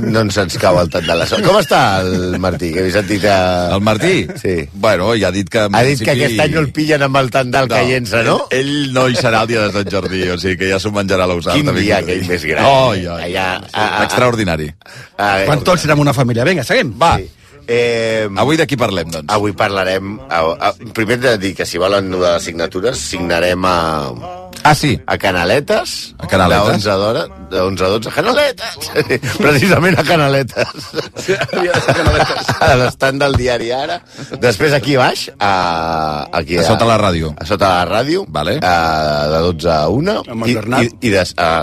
No ens cau el tant de la sort. Com està el Martí? Que he sentit que... El Martí? Sí. Bueno, ja ha dit que... Ha dit que aquest any no el pillen amb el tandal caient-se, no? Ell no hi serà el dia de Sant Jordi, o sigui que ja s'ho menjarà l'Eusal. Quin dia aquell més gran. Extraordinari. Quan tots serem una família. Vinga, seguim. Va. Avui de qui parlem, doncs? Avui parlarem... Primer de dir que si volen de les signatures, signarem a... Sí. A Canaletes. A Canaletes. De 11 a 12. Canaletes! Precisament a Canaletes. A l'estand del diari Ara. Després aquí baix, aquí a sota la ràdio. A sota la ràdio. Vale. De 12 a 1. Amb el Bernat.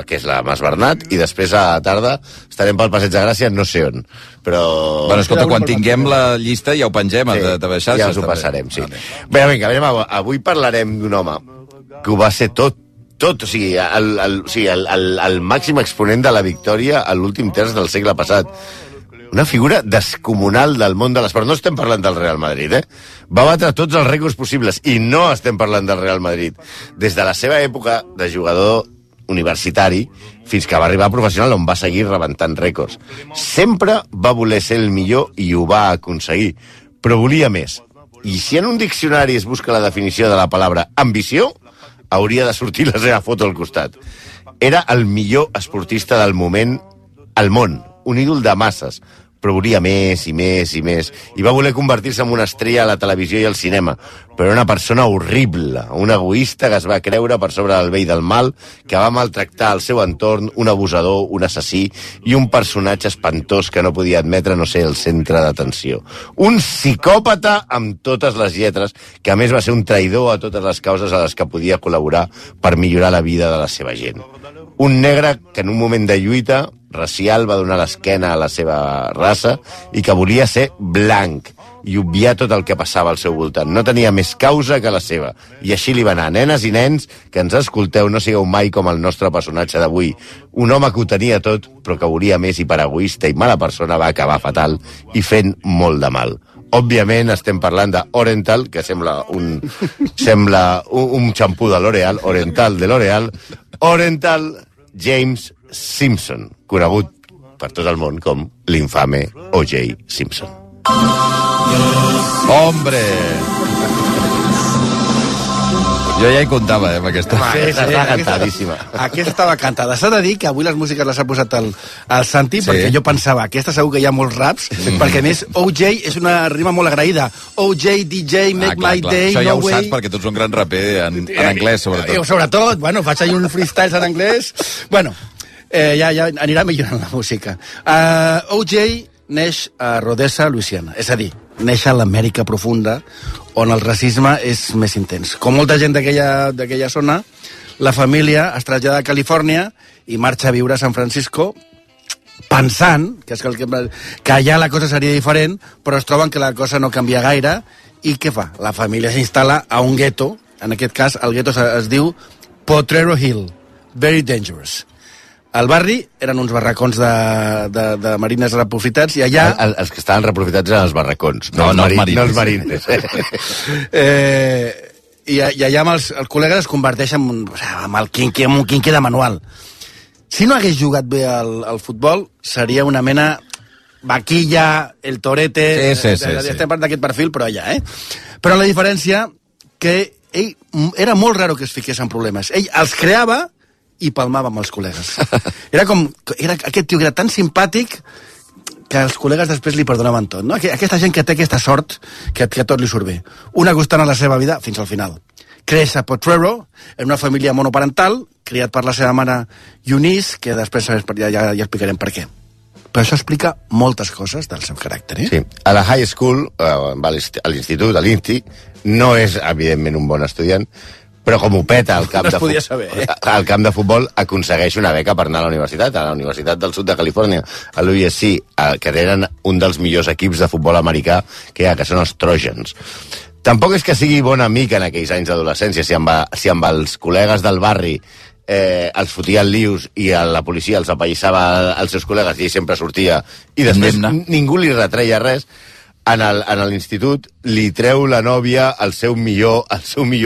Que és la Mas Bernat. I després a la tarda estarem pel Passeig de Gràcia, no sé on. Però... Bueno, escolta, quan tinguem la llista ja ho pengem a TV Xarxes. Ja us ho passarem, sí. Bé, vinga, avui parlarem d'un home que ho va ser tot, o sigui, el màxim exponent de la victòria a l'últim terç del segle passat. Una figura descomunal del món de l'esport. No estem parlant del Real Madrid, Va batre tots els rècords possibles i no estem parlant del Real Madrid. Des de la seva època de jugador universitari fins que va arribar a professional, on va seguir rebentant rècords. Sempre va voler ser el millor i ho va aconseguir, però volia més. I si en un diccionari es busca la definició de la paraula ambició, hauria de sortir la seva foto al costat. Era el millor esportista del moment al món, un ídol de masses, però volia més i més i més, i va voler convertir-se en una estrella a la televisió i al cinema, però una persona horrible, un egoista que es va creure per sobre del bé i del mal, que va maltractar el seu entorn, un abusador, un assassí i un personatge espantós que no podia admetre no ser el centre d'atenció. Un psicòpata amb totes les lletres, que a més va ser un traïdor a totes les causes a les que podia col·laborar per millorar la vida de la seva gent. Un negre que en un moment de lluita racial va donar l'esquena a la seva raça i que volia ser blanc i obviar tot el que passava al seu voltant. No tenia més causa que la seva. I així li va anar. Nenes i nens que ens escolteu, no sigueu mai com el nostre personatge d'avui. Un home que ho tenia tot, però que volia més i per egoista i mala persona va acabar fatal i fent molt de mal. Òbviament estem parlant d'Orenthal, que sembla un xampú de L'Oreal, Orenthal de L'Oreal, Orenthal James Simpson, conegut per tot el món com l'infame O.J. Simpson. Hombre! Jo ja hi comptava, amb aquesta. Aquesta està cantadíssima. Aquesta estava cantada. S'ha de dir que avui les músiques les ha posat el Santi, perquè jo pensava, aquesta segur que hi ha molts raps, perquè a més OJ és una rima molt agraïda. OJ, DJ, make my day, això ja no ho way. saps perquè tu ets un gran raper en anglès, sobretot. Sobretot, bueno, faig ahí uns freestyles en anglès. Bueno, ja anirà millorant la música. OJ neix a Rodessa, Louisiana. És a dir, neix a l'Amèrica profunda, on el racisme és més intens. Com molta gent d'aquella zona, la família es trasllada a Califòrnia i marxa a viure a San Francisco pensant que allà la cosa seria diferent, però es troben que la cosa no canvia gaire, i què fa? La família s'instal·la a un gueto, en aquest cas el gueto es diu Potrero Hill, very dangerous. Al barri eren uns barracons de marines reprofitats i allà... Els que estaven reprofitats eren els barracons, no els marines. I allà amb els col·legues es converteix en el quinqué de manual. Si no hagués jugat bé al futbol, seria una mena vaquilla, el torete... Sí. Estem parlant d'aquest perfil, però allà, Però la diferència que ell era molt raro que es fiqués en problemes. Ell els creava i palmava amb els col·legues. Aquest tio que era tan simpàtic que els col·legues després li perdonaven tot, no? Aquesta gent que té aquesta sort, que tot li surt bé. Una constant a la seva vida fins al final. Creix a Potrero, en una família monoparental, criat per la seva mare Eunice, que després ja explicarem per què. Però això explica moltes coses del seu caràcter, Sí. A la high school, a l'institut, a l'INTI, no és, evidentment, un bon estudiant, però com ho peta al camp, al camp de futbol, aconsegueix una beca per anar a la Universitat del Sud de Califòrnia, a l'USC, que tenen un dels millors equips de futbol americà que hi ha, que són els Trojans. Tampoc és que sigui bon amic en aquells anys d'adolescència, si amb els col·legues del barri els fotia el lius i la policia els apallissava als seus col·legues i ell sempre sortia i després ningú li retreia res. en l'institut li treu la nòvia al seu millor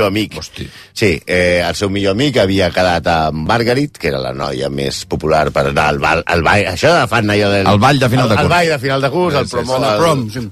amic. Hosti. Sí, el seu millor amic havia quedat amb Margaret, que era la noia més popular per anar al ball. Això de fan allò del... El ball de final de curs. El ball de final de curs,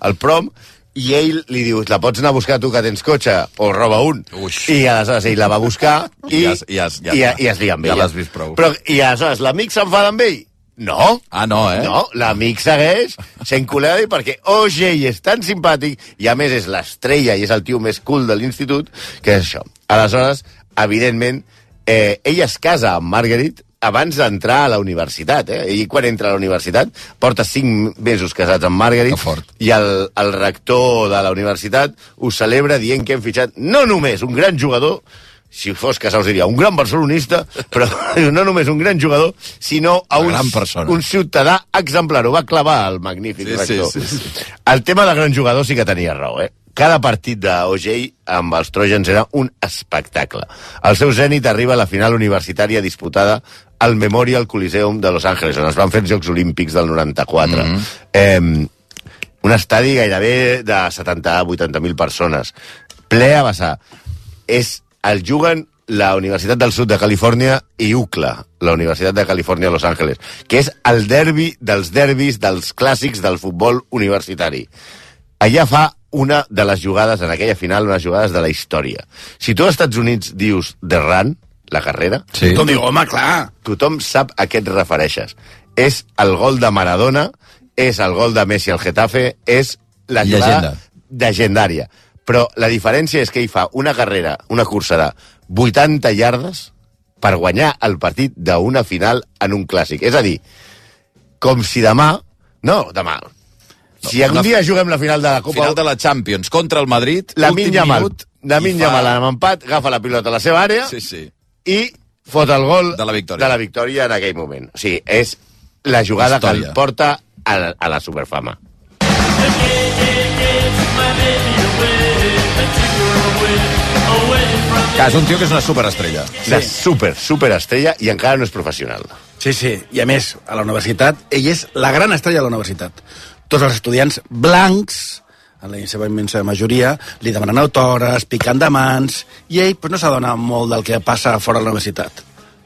el prom, i ell li diu, la pots anar a buscar tu que tens cotxe? O roba un. Uix. I aleshores ell la va buscar i es lia amb ella. Ja l'has vist prou. I aleshores l'amic s'enfada amb ell? No. Ah, no, eh? No, l'amic segueix sent col·lega perquè O.J. és tan simpàtic i, a més, és l'estrella i és el tio més cool de l'institut, que és això. Aleshores, evidentment, ell es casa amb Margaret abans d'entrar a la universitat. Ell, quan entra a la universitat, porta 5 mesos casats amb Margaret i el rector de la universitat ho celebra dient que hem fitxat no només un gran jugador, si fos Casals diria un gran barcelonista, però no només un gran jugador, sinó a un ciutadà exemplar. Ho va clavar el magnífic rector. Sí. El tema del gran jugador sí que tenia raó, Cada partit d'O.J. amb els Trojans era un espectacle. El seu zènit arriba a la final universitària disputada al Memorial Coliseum de Los Angeles, on es van fer els Jocs Olímpics del 94. Un estadi gairebé de 70-80.000 persones. Ple a vessar. El juguen la Universitat del Sud de Califòrnia i UCLA, la Universitat de Califòrnia a Los Angeles, que és el derbi dels derbis dels clàssics del futbol universitari. Allà fa una de les jugades, en aquella final, unes jugades de la història. Si tu als Estats Units dius The Run, la carrera, tothom diu, home, clar. Tothom sap a què et refereixes. És el gol de Maradona, és el gol de Messi al Getafe, és la jugada llegendària. Però la diferència és que ell fa una carrera, una cursa de 80 iardes per guanyar el partit d'una final en un clàssic. És a dir, com si demà... Si algun dia juguem la final de la Copa... Final de la Champions contra el Madrid, Lamine Yamal amb empat, agafa la pilota a la seva àrea i fot el gol de la victòria en aquell moment. O sigui, és la jugada que el porta a la superfama. És un tio que és una superestrella. Una superestrella i encara no és professional. Sí, i a més, a la universitat, ell és la gran estrella de la universitat. Tots els estudiants blancs, en la seva immensa majoria, li demanen autògrafs, picant de mans, i ell no s'adona molt del que passa fora de la universitat.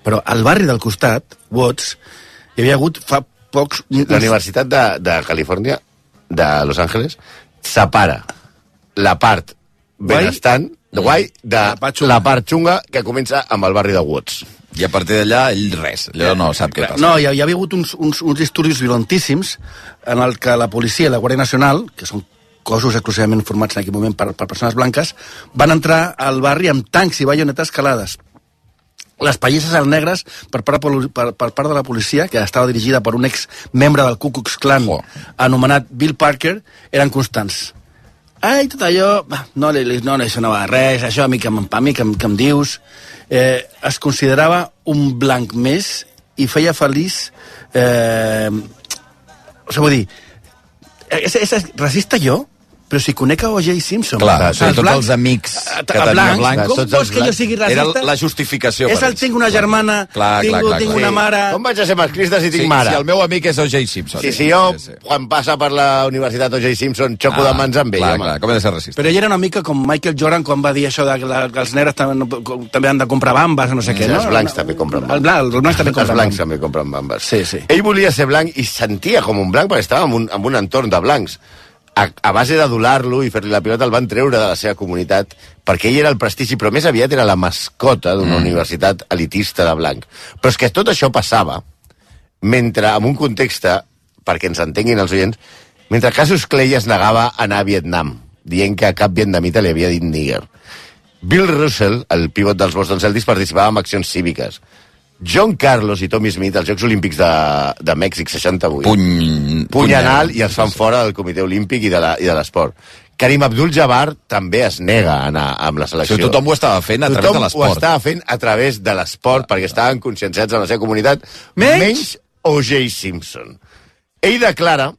Però al barri del costat, Watts, hi havia hagut fa pocs... La Universitat de Califòrnia, de Los Angeles, separa la part benestant, guai, de la part xunga que comença amb el barri de Watts. I a partir d'allà, ell res. Allò no sap què passa. No, hi havia hagut uns disturbis violentíssims en el que la policia i la Guàrdia Nacional, que són cossos exclusivament formats en aquell moment per persones blanques, van entrar al barri amb tancs i baionetes calades. Les pallisses al negres per part de la policia, que estava dirigida per un ex-membre del Ku Klux Klan anomenat Bill Parker, eren constants. Tot allò, no li sonava res, això a mi que em dius. Es considerava un blanc més i feia feliç... vull dir, és racista jo? Però si conec a O.J. Simpson... Clar, tots els amics que tenia blancs... Com vols que jo sigui racista? Era la justificació. És el tinc una germana, tinc una mare... Com vaig a ser masclista si tinc mare? Si el meu amic és O.J. Simpson. Si jo, quan passa per la Universitat O.J. Simpson, xoco de mans amb ell. Clar, com he de ser racista. Però ell era una mica com Michael Jordan quan va dir això que els negres també han de comprar bambes, no sé què, no? Els blancs també compren bambes. Els blancs també compren bambes. Sí. Ell volia ser blanc i sentia com un blanc perquè estava en un entorn de blancs. A base d'adular-lo i fer-li la pilota el van treure de la seva comunitat perquè ell era el prestigi, però més aviat era la mascota d'una universitat elitista de blanc. Però és que tot això passava mentre, en un context, perquè ens entenguin els oients, mentre Cassius Clay es negava a anar a Vietnam, dient que a cap vietnamita li havia dit níger. Bill Russell, el pivot dels Boston Celtics, participava en accions cíviques. John Carlos i Tommy Smith, als Jocs Olímpics de Mèxic 68. Puny anal i els fan fora del Comitè Olímpic i de l'esport. Karim Abdul-Jabbar també es nega a anar amb la selecció. Tothom ho estava fent a través de l'esport. Tothom ho estava fent a través de l'esport perquè estaven conscienciats en la seva comunitat, menys O.J. Simpson. Ell declara,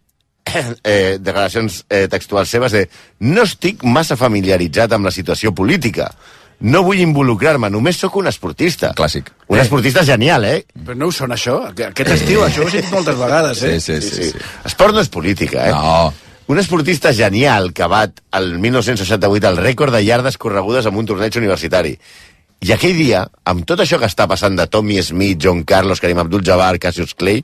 declaracions textuals seves, no estic massa familiaritzat amb la situació política. No vull involucrar-me, només sóc un esportista. Clàssic. Un esportista genial, Però no ho sona, això? Aquest estiu, això ho he sentit moltes vegades, Sí. Esport no és política, No. Un esportista genial que bat el 1968 el rècord de iardes corregudes en un torneig universitari. I aquell dia, amb tot això que està passant de Tommy Smith, John Carlos, Karim Abdul-Jabbar, Cassius Clay,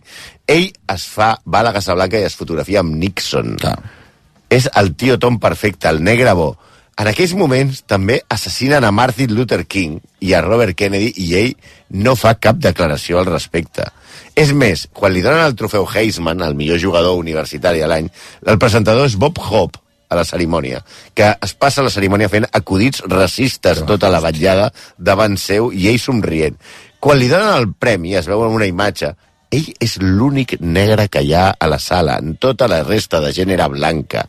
ell va a la Casa Blanca i es fotografia amb Nixon. És el tio Tom perfecte, el negre bo. En aquells moments també assassinen a Martin Luther King i a Robert Kennedy i ell no fa cap declaració al respecte. És més, quan li donen el trofeu Heisman, el millor jugador universitari de l'any, el presentador és Bob Hope, a la cerimònia, que es passa la cerimònia fent acudits racistes tota la vetllada davant seu i ell somrient. Quan li donen el premi, es veu en una imatge, ell és l'únic negre que hi ha a la sala, en tota la resta de gent era blanca.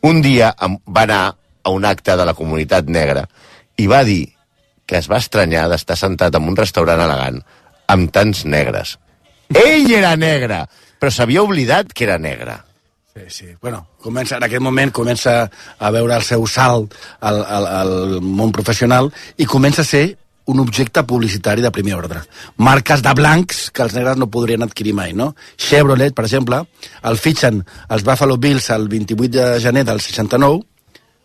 Un dia va anar a un acte de la comunitat negra i va dir que es va estranyar d'estar sentat en un restaurant elegant amb tants negres. Ell era negre, però s'havia oblidat que era negre. Sí. Bueno, en aquest moment comença a veure el seu salt al món professional i comença a ser un objecte publicitari de primer ordre. Marques de blancs que els negres no podrien adquirir mai, no? Chevrolet, per exemple, el fitxen els Buffalo Bills el 28 de gener del 69,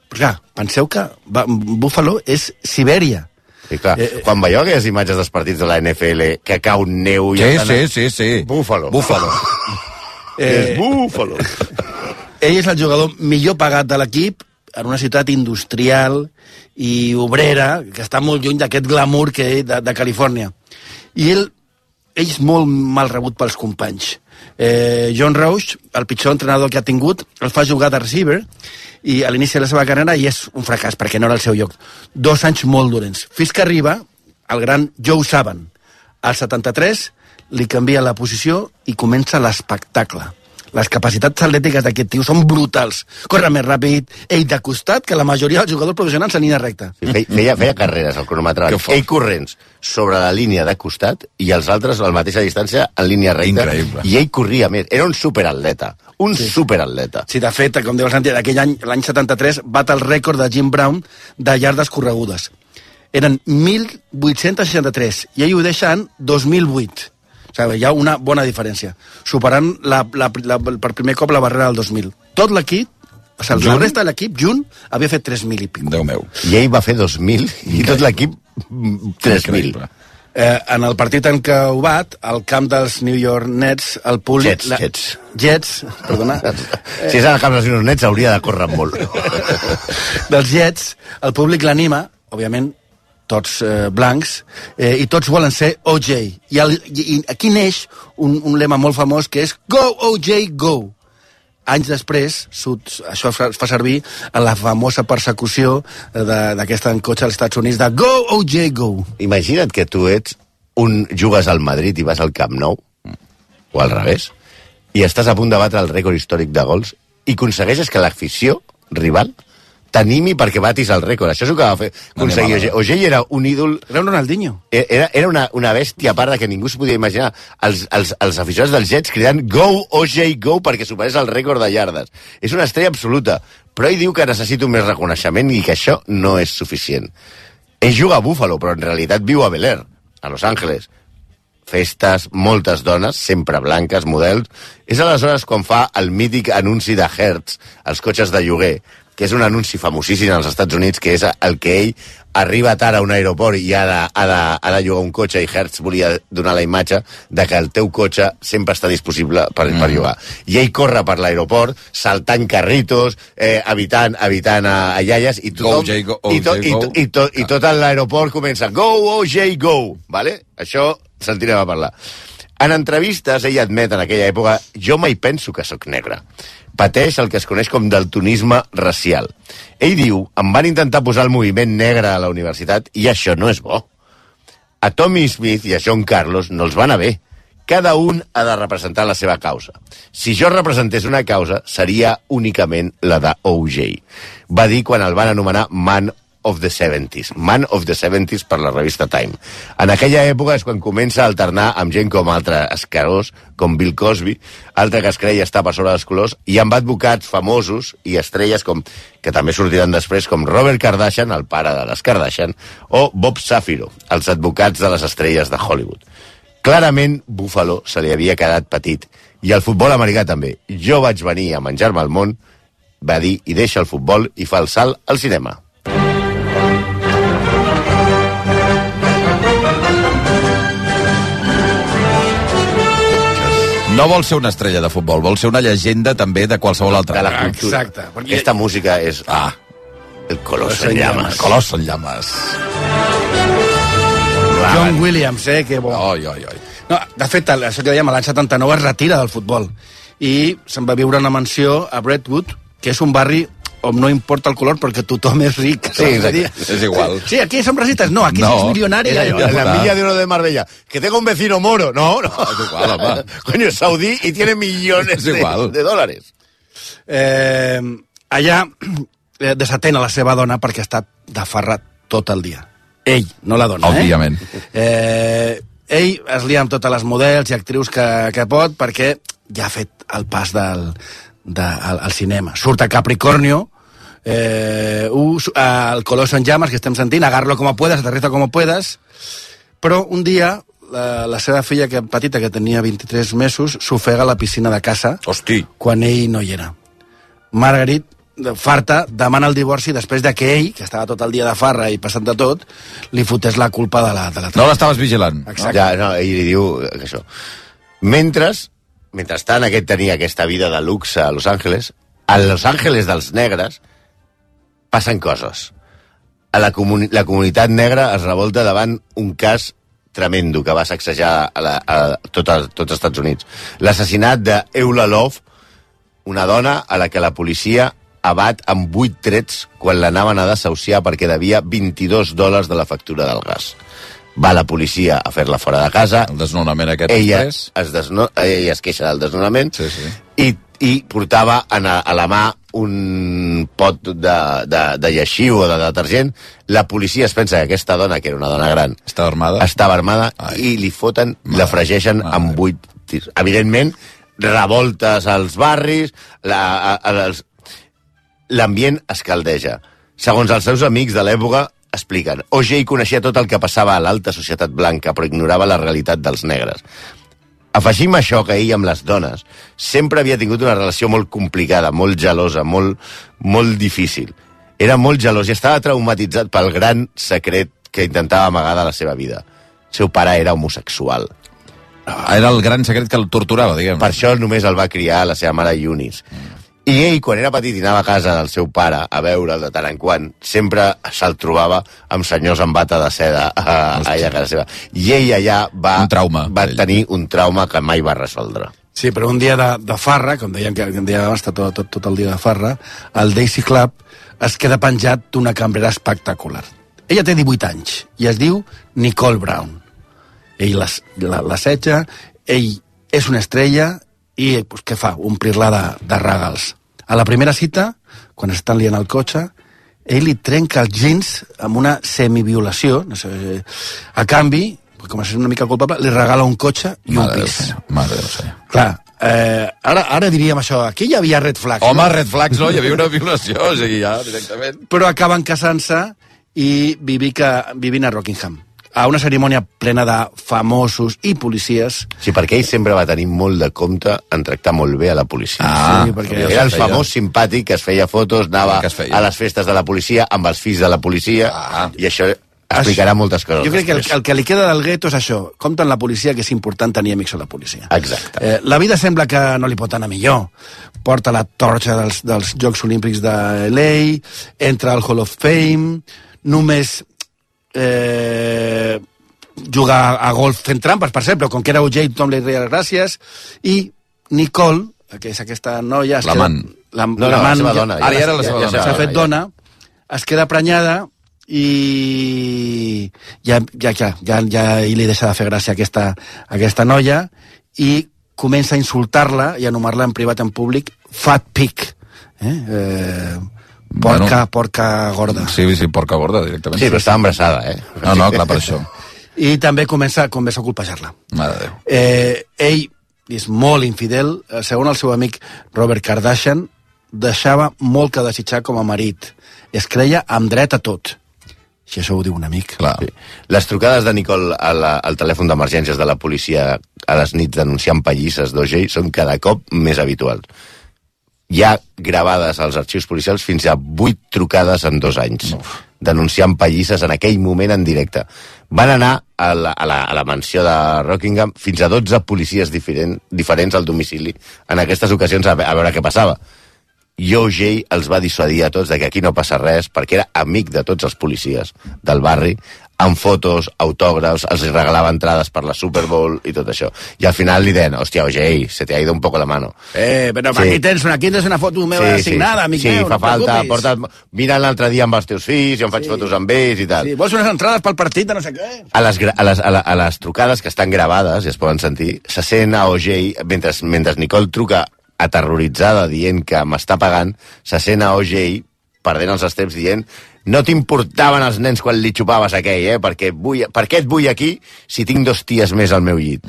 però clar, penseu que Buffalo és Sibèria. Sí, clar. Quan veieu aquelles imatges dels partits de la NFL que cau neu... Sí. Buffalo. És Buffalo. Ell és el jugador millor pagat de l'equip en una ciutat industrial i obrera, que està molt lluny d'aquest glamour que de Califòrnia. I ell és molt mal rebut pels companys. John Roush, el pitjor entrenador que ha tingut, el fa jugar de receiver i a l'inici de la seva carrera i és un fracàs perquè no era el seu lloc. 2 anys molt dolents. Fins que arriba el gran Joe Saban. Al 73 li canvia la posició i comença l'espectacle. Les capacitats atlètiques d'aquest tio són brutals. Corre més ràpid, ell de costat, que la majoria dels jugadors professionals en línia recta. Feia carreres al cronòmetre. Ell corrents sobre la línia de costat i els altres a la mateixa distància en línia recta. Increïble. I ell corria més. Era un superatleta. Superatleta. Sí, de fet, com diu el Santi, d'aquell any, l'any 73, bat el rècord de Jim Brown de iardes corregudes. Eren 1.863 i ell ho deixa en 2008. O sigui, hi ha una bona diferència. Superant per primer cop la barrera del 2000. Tot l'equip, o sigui, la resta de l'equip, junt, havia fet 3.000 i pico. Déu meu. I ell va fer 2.000 i tot l'equip 3.000. En el partit en què ho bat, al camp dels New York Nets, el públic... Jets, perdona. Si és al camp dels New York Nets, hauria de córrer molt. Dels Jets, el públic l'anima, òbviament, tots blancs, i tots volen ser OJ. I aquí neix un lema molt famós que és Go, OJ, go! Anys després, això es fa servir en la famosa persecució d'aquesta en cotxe als Estats Units de Go, OJ, go! Imagina't que tu jugues al Madrid i vas al Camp Nou, o al revés, i estàs a punt de batre el rècord històric de gols i aconsegueixes que l'afició rival t'animi perquè batis el rècord. Això és el que va fer aconseguir OJ. OJ era un ídol... Era un Ronaldinho. Era una bèstia a part que ningú s'ho podia imaginar. Els aficionats dels Jets cridant Go, OJ, go, perquè superés el rècord de iardes. És una estrella absoluta, però ell diu que necessita més reconeixement i que això no és suficient. Ell juga a Buffalo, però en realitat viu a Bel Air, a Los Angeles. Festes, moltes dones, sempre blanques, models. És aleshores quan fa el mític anunci de Hertz, els cotxes de lloguer, que és un anunci famosíssim als Estats Units, que és el que ell arriba tard a un aeroport i ha de llogar un cotxe, i Hertz volia donar la imatge de que el teu cotxe sempre està disponible per llogar. I ell corre per l'aeroport, saltant carritos, evitant a iaies, i tothom, i tot l'aeroport comença Go, OJ, go! Vale? Això sentirem a parlar. En entrevistes, ell admet en aquella època jo mai penso que sóc negre. Pateix el que es coneix com daltonisme racial. Ell diu, em van intentar posar el moviment negre a la universitat i això no és bo. A Tommy Smith i a John Carlos no els va anar bé. Cada un ha de representar la seva causa. Si jo representés una causa, seria únicament la de OJ. Va dir quan el van anomenar Man of the 70s. Man of the 70s per la revista Time. En aquella època és quan comença a alternar amb gent com altre escarós, com Bill Cosby, altre que es creia estar per sobre dels colors, i amb advocats famosos i estrelles que també sortiran després, com Robert Kardashian, el pare de les Kardashian, o Bob Safiro, els advocats de les estrelles de Hollywood. Clarament, Buffalo se li havia quedat petit, i el futbol americà també. Jo vaig venir a menjar-me el món va dir i deixa el futbol i fa el salt al cinema. No vol ser una estrella de futbol, vol ser una llegenda també de qualsevol altra. De la cultura. Exacte. Aquesta música és... El Coloso en llames. Coloso en llames. John Williams, que bo. Oi. No, de fet, això que dèiem, l'any 79 es retira del futbol i se'n va viure una mansió a Brentwood, que és un barri on no importa el color perquè tothom és ric. Sí, és igual. Sí, aquí som racistes. No, aquí és milionari. Es la Villa de Oro de Marbella. Que tengo un vecino moro. No. Es igual, home. Coño, es saudí y tiene millones de dólares. Allà desatén a la seva dona perquè ha estat de farra tot el dia. Ell, no la dona. Òbviament. Ell es lia amb totes les models i actrius que pot perquè ja ha fet el pas al cinema. Surt a Capricornio, el Coloso en llames que estem sentint, Agárralo como puedas, Aterriza como puedas, però un dia la seva filla petita, que tenia 23 mesos, s'ofega a la piscina de casa. Hosti. Quan ell no hi era. Margaret, farta, demana el divorci després de que ell, que estava tot el dia de farra i passant de tot, li fotés la culpa de la No l'estaves vigilant. Exacte. Ja, no, ell li diu que això. Mentrestant aquest tenia aquesta vida de luxe a Los Angeles, a Los Angeles dels negres passen coses. La comunitat negra es revolta davant un cas tremendo que va sacsejar a tots els Estats Units. L'assassinat d'Eula Love, una dona a la que la policia abat amb 8 trets quan l'anaven a desahuciar perquè devia $22 de la factura del gas. Va la policia a fer-la fora de casa. El desnonament aquest ella es queixa del desnonament. Sí. I portava a la mà un pot de lleixiu o de detergent. La policia es pensa que aquesta dona, que era una dona gran, estava armada i li foten, la fregeixen amb 8 tirs. Evidentment, revoltes als barris, l'ambient es caldeja. Segons els seus amics de l'època, expliquen, O.J. coneixia tot el que passava a l'alta societat blanca, però ignorava la realitat dels negres. Afegim això que ell amb les dones sempre havia tingut una relació molt complicada, molt gelosa, molt difícil. Era molt gelós i estava traumatitzat pel gran secret que intentava amagar de la seva vida. El seu pare era homosexual. Era el gran secret que el torturava, diguem. Per això només el va criar la seva mare Eunice. I ell, quan era petit i anava a casa del seu pare a veure'l de tant en quant, sempre se'l trobava amb senyors amb bata de seda allà a casa seva. I ell allà va tenir un trauma que mai va resoldre. Sí, però un dia de farra, com dèiem que un dia va estar tot el dia de farra, el Daisy Club es queda penjat d'una cambrera espectacular. Ella té 18 anys i es diu Nicole Brown. Ell l'assetja, ell és una estrella i pues, què fa? Omplir-la de regals. A la primera cita, quan estan liant el cotxe, ell li trenca els jeans amb una semiviolació, no sé, a canvi, com a ser una mica culpable, li regala un cotxe i un pis. Mare Déu, senyor. Clar, ara diríem això, aquí hi havia red flags. Home, red flags no, hi havia una violació, o sigui, ja, directament. Però acaben casant-se i vivint a Rockingham, a una cerimònia plena de famosos i policies. Sí, perquè ell sempre va tenir molt de compte en tractar molt bé a la policia. Sí, perquè era el famós simpàtic que es feia fotos, anava a les festes de la policia amb els fills de la policia, i això explicarà moltes coses. Jo crec que el que li queda del gueto és això. Compta en la policia que és important tenir amics a la policia. Exacte. La vida sembla que no li pot anar millor. Porta la torxa dels Jocs Olímpics de LA, entra al Hall of Fame, només jugar a golf fent trampes, per exemple, com que era O.J. tothom li deia gràcies, i Nicole, que és aquesta noia... L'amant. La seva dona. Ara era la seva dona. S'ha fet dona, es queda prenyada i ja li deixa de fer gràcia aquesta noia i comença a insultar-la i a anomenar-la en privat en públic Fat Pig. Porca gorda. Sí, porca gorda, directament. Sí, però estava embarassada, No, clar, per això. I també comença a colpejar-la. Mare de Déu. Ell és molt infidel. Segons el seu amic Robert Kardashian, deixava molt que desitjar com a marit. Es creia amb dret a tot. Si això ho diu un amic. Clar. Sí. Les trucades de Nicole al telèfon d'emergències de la policia a les nits denunciant pallisses d'O.J. són cada cop més habituals. Hi ha gravades als arxius policials fins a 8 trucades en 2 anys, denunciant pallisses en aquell moment en directe. Van anar a la mansió de Rockingham fins a 12 policies diferents al domicili en aquestes ocasions a veure què passava. I O.J. els va dissuadir a tots de que aquí no passa res, perquè era amic de tots els policies del barri, amb fotos, autògrafs, els regalava entrades per la Super Bowl i tot això. I al final li deien, hòstia, O.J., se te ha ido un poco la mano. Però aquí tens una foto meva signada, amic meu, fa falta, mira l'altre dia amb els teus fills, jo em faig fotos amb ells i tal. Sí, vols unes entrades pel partit de no sé què? A les trucades que estan gravades, i es poden sentir, se sent a O.J., mentre Nicole truca aterroritzada dient que m'està pagant, se sent a O.J. perdent els estreps dient no t'importaven els nens quan li xupaves aquell, per què et vull aquí si tinc 2 ties més al meu llit?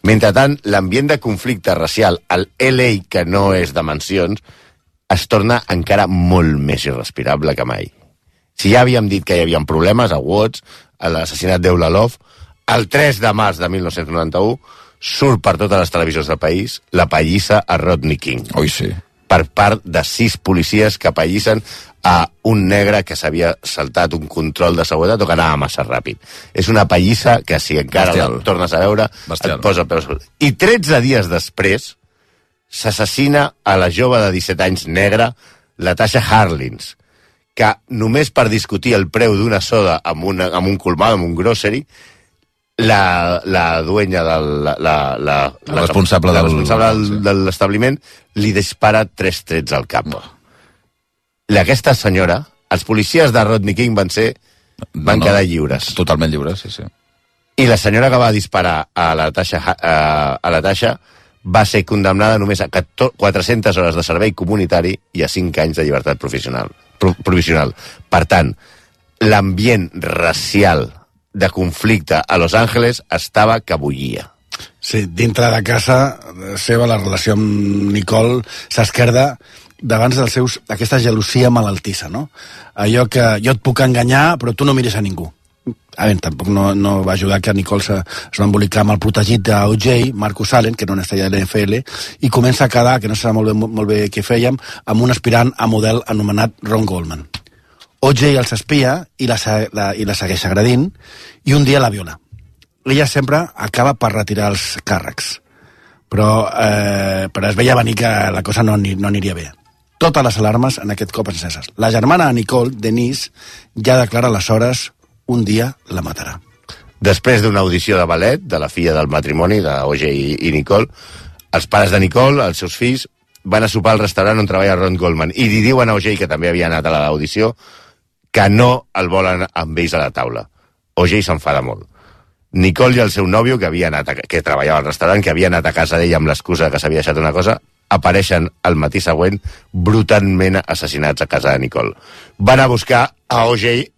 Mentrestant, l'ambient de conflicte racial al LA, que no és de mansions, es torna encara molt més irrespirable que mai. Si ja havíem dit que hi havia problemes a Watts, a l'assassinat d'Eulalov, el 3 de març de 1991 surt per totes les televisions del país la pallissa a Rodney King. Oi, sí. Per part de 6 policies que apallissen a un negre que s'havia saltat un control de seguretat o que anava massa ràpid. És una pallissa que, si encara la tornes a veure, et posa peus. I 13 dies després s'assassina a la jove de 17 anys negra, la Tasha Harlins, que només per discutir el preu d'una soda amb un colmado, amb un grocery, la duenya la responsable de l'establiment li dispara 3 trets al cap. Aquesta senyora, els policies de Rodney King van quedar lliures. Totalment lliures, sí. I la senyora que va disparar a la Tasha va ser condemnada només a 400 hores de servei comunitari i a 5 anys de llibertat provisional. Per tant, l'ambient racial de conflicte a Los Angeles estava que bullia. Sí, dintre de casa seva la relació amb Nicole s'esquerda davant d'aquesta gelosia malaltissa, no? Allò que jo et puc enganyar, però tu no mires a ningú. A veure, tampoc no va ajudar que Nicole es va embolicar amb el protegit d'O.J., Marcus Allen, que era una estrella de l'NFL, i comença a quedar, que no sé molt bé què fèiem, amb un aspirant a model anomenat Ron Goldman. O.J. els espia i la segueix agredint, i un dia la viola. Ella sempre acaba per retirar els càrrecs, però es veia venir que la cosa no aniria bé. Totes les alarmes en aquest cop enceses. La germana de Nicole, Denise, ja declara aleshores un dia la matarà. Després d'una audició de ballet de la filla del matrimoni, d'O.J. i Nicole, els pares de Nicole, els seus fills, van a sopar al restaurant on treballa Ron Goldman i li diuen a O.J., que també havia anat a l'audició, que no el volen amb ells a la taula. O.J. s'enfada molt. Nicole i el seu nòvio, que treballava al restaurant, que havia anat a casa d'ella amb l'excusa que s'havia deixat una cosa, apareixen el matí següent brutalment assassinats a casa de Nicole. Van a buscar a O.J.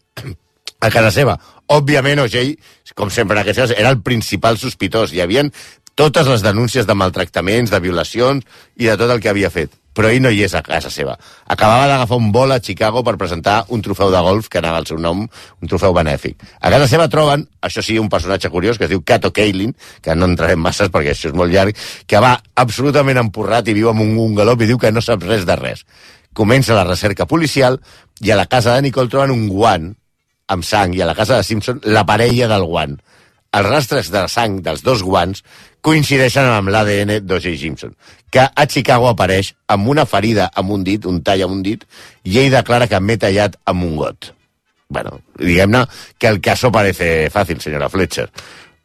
a casa seva. Òbviament, O.J., com sempre en aquests casos, era el principal sospitós. Hi havia totes les denúncies de maltractaments, de violacions i de tot el que havia fet. Però ell no hi és a casa seva. Acabava d'agafar un vol a Chicago per presentar un trofeu de golf que anava al seu nom, un trofeu benèfic. A casa seva troben, això sí, un personatge curiós que es diu Kato Kaelin, que no entrarem masses perquè això és molt llarg, que va absolutament empurrat i viu en un galop i diu que no sap res de res. Comença la recerca policial i a la casa de Nicole troben un guant amb sang i a la casa de Simpson la parella del guant. Els rastres de sang dels 2 guants coincideixen amb l'ADN d'O.J. Simpson, que a Chicago apareix amb una ferida amb un dit, un tall amb un dit, i ell declara que m'he tallat amb un got. Bueno, diguem-ne que el caso parece fácil, senyora Fletcher.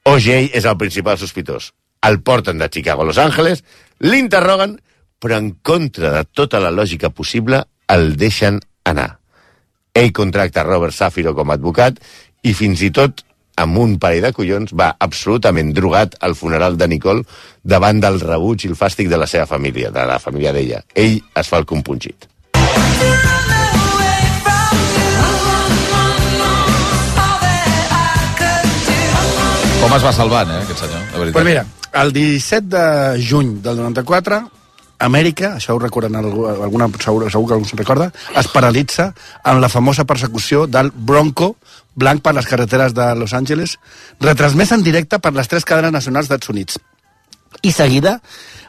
O.J. és el principal sospitós. El porten de Chicago a Los Angeles, l'interroguen, però en contra de tota la lògica possible el deixen anar. Ell contracta Robert Safiro com a advocat i fins i tot amb un parell de collons, va absolutament drogat al funeral de Nicole davant del rebuig i el fàstic de la seva família, de la família d'ella. Ell es fa el compungit. Com es va salvant, aquest senyor? Pues mira, el 17 de juny del 94, Amèrica, això ho recorden segur que algú se'n recorda, es paralitza en la famosa persecució del Bronco blanc per les carreteres de Los Angeles, retransmès en directe per les 3 cadenes nacionals d'Estats Units. i seguida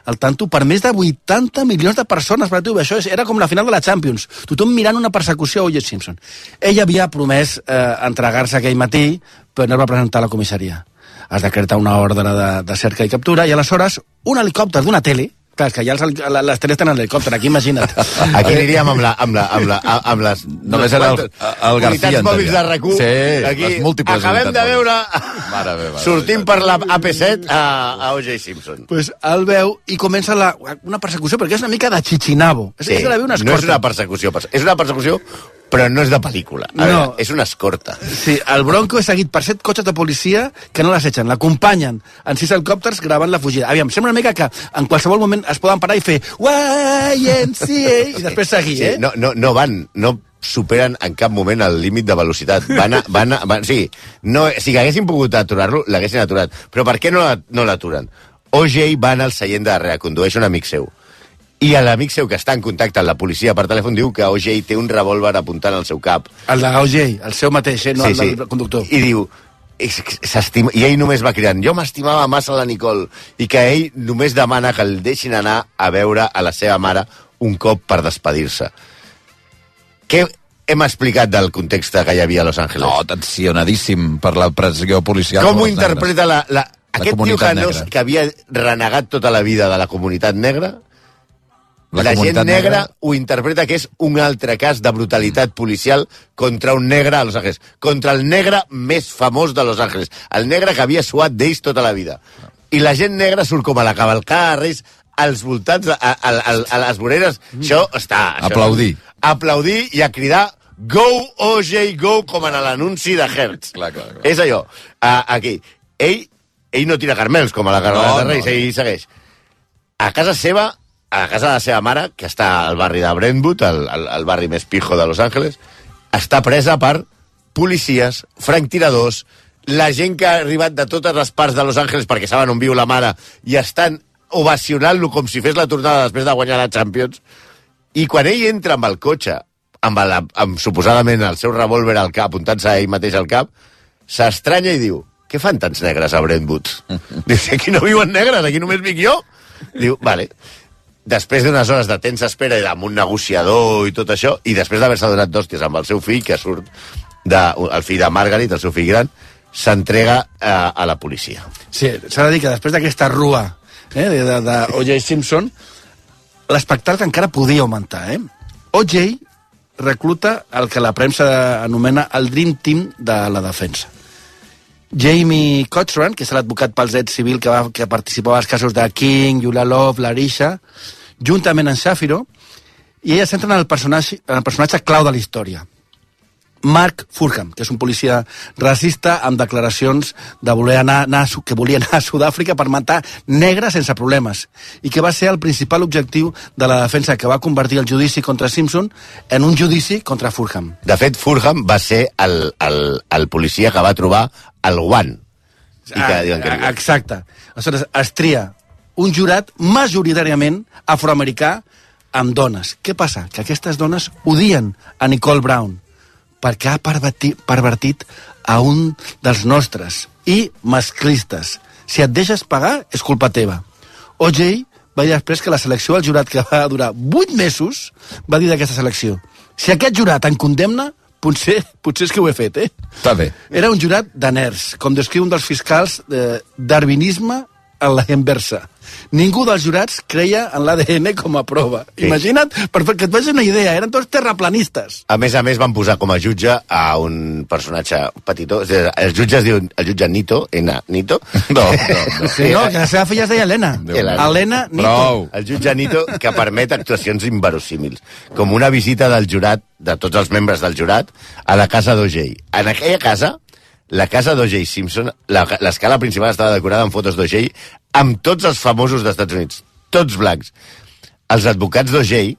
el tanto per més de 80 milions de persones. Això era com la final de la Champions. Tothom mirant una persecució a O.J. Simpson. Ell havia promès entregar-se aquell matí, però no va presentar a la comissaria. Es decreta una ordre de cerca i captura, i aleshores un helicòpter d'una tele, clar, que ja les teles tenen helicòpter, aquí imagina't. Aquí aniríem amb les... Només era el García. Unitats mòbils de RAC1. Sí, aquí, les múltiples acabem de veure... Mare meva. Sortim per la AP7 a O.J. Simpson. Pues el veu i comença una persecució, perquè és una mica de Chichinabo. Sí, no és una persecució, és una persecució, però no és de pel·lícula. A veure, és una escorta. Sí, el Bronco és seguit per 7 cotxes de policia que no l'assetgen, l'acompanyen en 6 helicòpters gravant la fugida. Aviam, sembla una mica que en qualsevol moment es poden parar i fer YMCA i després seguir, sí, no superen en cap moment el límit de velocitat. Sí, si haguessin pogut aturar-lo, l'haguessin aturat. Però per què no l'aturen? O.J. va anar al seient de darrere, condueix un amic seu. I l'amic seu que està en contacte amb la policia per telèfon diu que O.J. té un revòlver apuntant al seu cap. El de O.J., el seu mateix, no el del conductor. I diu, i ell només va cridant, jo m'estimava massa la Nicole, i que ell només demana que el deixin anar a veure a la seva mare un cop per despedir-se. Què hem explicat del context que hi havia a Los Angeles? No, tensionadíssim per la pressió policial. Com ho interpreta aquest tio que havia renegat tota la vida de la comunitat negra? La gent negra ho interpreta que és un altre cas de brutalitat policial contra un negre a Los Angeles. Contra el negre més famós de Los Angeles. El negre que havia suat d'ells tota la vida. I la gent negra surt com a la cavalcada de Reis als voltants, a les voreres. Això està... Aplaudir i a cridar Go, O.J., go, com en l'anunci de Hertz. Clar. És allò. Aquí. Ell no tira carmels com a la cavalcada de Reis, ell segueix. A casa seva... a la casa de la seva mare, que està al barri de Brentwood, el barri més pijo de Los Angeles, està presa per policies, franctiradors, la gent que ha arribat de totes les parts de Los Angeles perquè saben on viu la mare i estan ovacionant-lo com si fes la tornada després de guanyar la Champions. I quan ell entra amb el cotxe, amb suposadament el seu revòlver al cap, apuntant-se a ell mateix al cap, s'estranya i diu, què fan tants negres a Brentwood? Diu, aquí no viuen negres, aquí només vic jo. Diu, vale. Després d'unes hores de tensa espera i amb un negociador i tot això, i després d'haver-se donat d'hòsties amb el seu fill, que surt el fill de Margaret, el seu fill gran, s'entrega a la policia. Sí, s'ha de dir que després d'aquesta rua de O.J. Simpson, l'espectacle encara podia augmentar. O.J. recluta el que la premsa anomena el Dream Team de la defensa. Jamie Cochran, que és l'advocat pels drets civils que participava als casos de King, Julia Love, Larisha, juntament amb Shapiro, i ella centra en el personatge clau de la història. Mark Furham, que és un policia racista amb declaracions de que volia anar a Sud-àfrica per matar negres sense problemes, i que va ser el principal objectiu de la defensa, que va convertir el judici contra Simpson en un judici contra Furham. De fet, Furham va ser el policia que va trobar el guant. Exacte. Aleshores, es tria un jurat majoritàriament afroamericà amb dones. Què passa? Que aquestes dones odien a Nicole Brown perquè ha pervertit a un dels nostres i masclistes. Si et deixes pagar, és culpa teva. O.J. va dir després que la selecció del jurat, que va durar 8 mesos, va dir d'aquesta selecció: si aquest jurat en condemna, potser és que ho he fet, Està bé. Era un jurat de nerds, com descriu un dels fiscals de darwinisme a la inversa. Ningú dels jurats creia en l'ADN com a prova. Sí. Imagina't, perquè et facis una idea, eren tots terraplanistes. A més, van posar com a jutge a un personatge petitó. El jutge es diu el jutge Nito, Nito? No. Sí, no, que la seva filla es deia Helena. Helena Nito. Prou. El jutge Nito, que permet actuacions inverosímils, com una visita del jurat, de tots els membres del jurat, a la casa d'O.J. En aquella casa, la casa d'O.J. Simpson, l'escala principal estava decorada amb fotos d'O.J. amb tots els famosos dels Estats Units, tots blancs. Els advocats d'O.J.,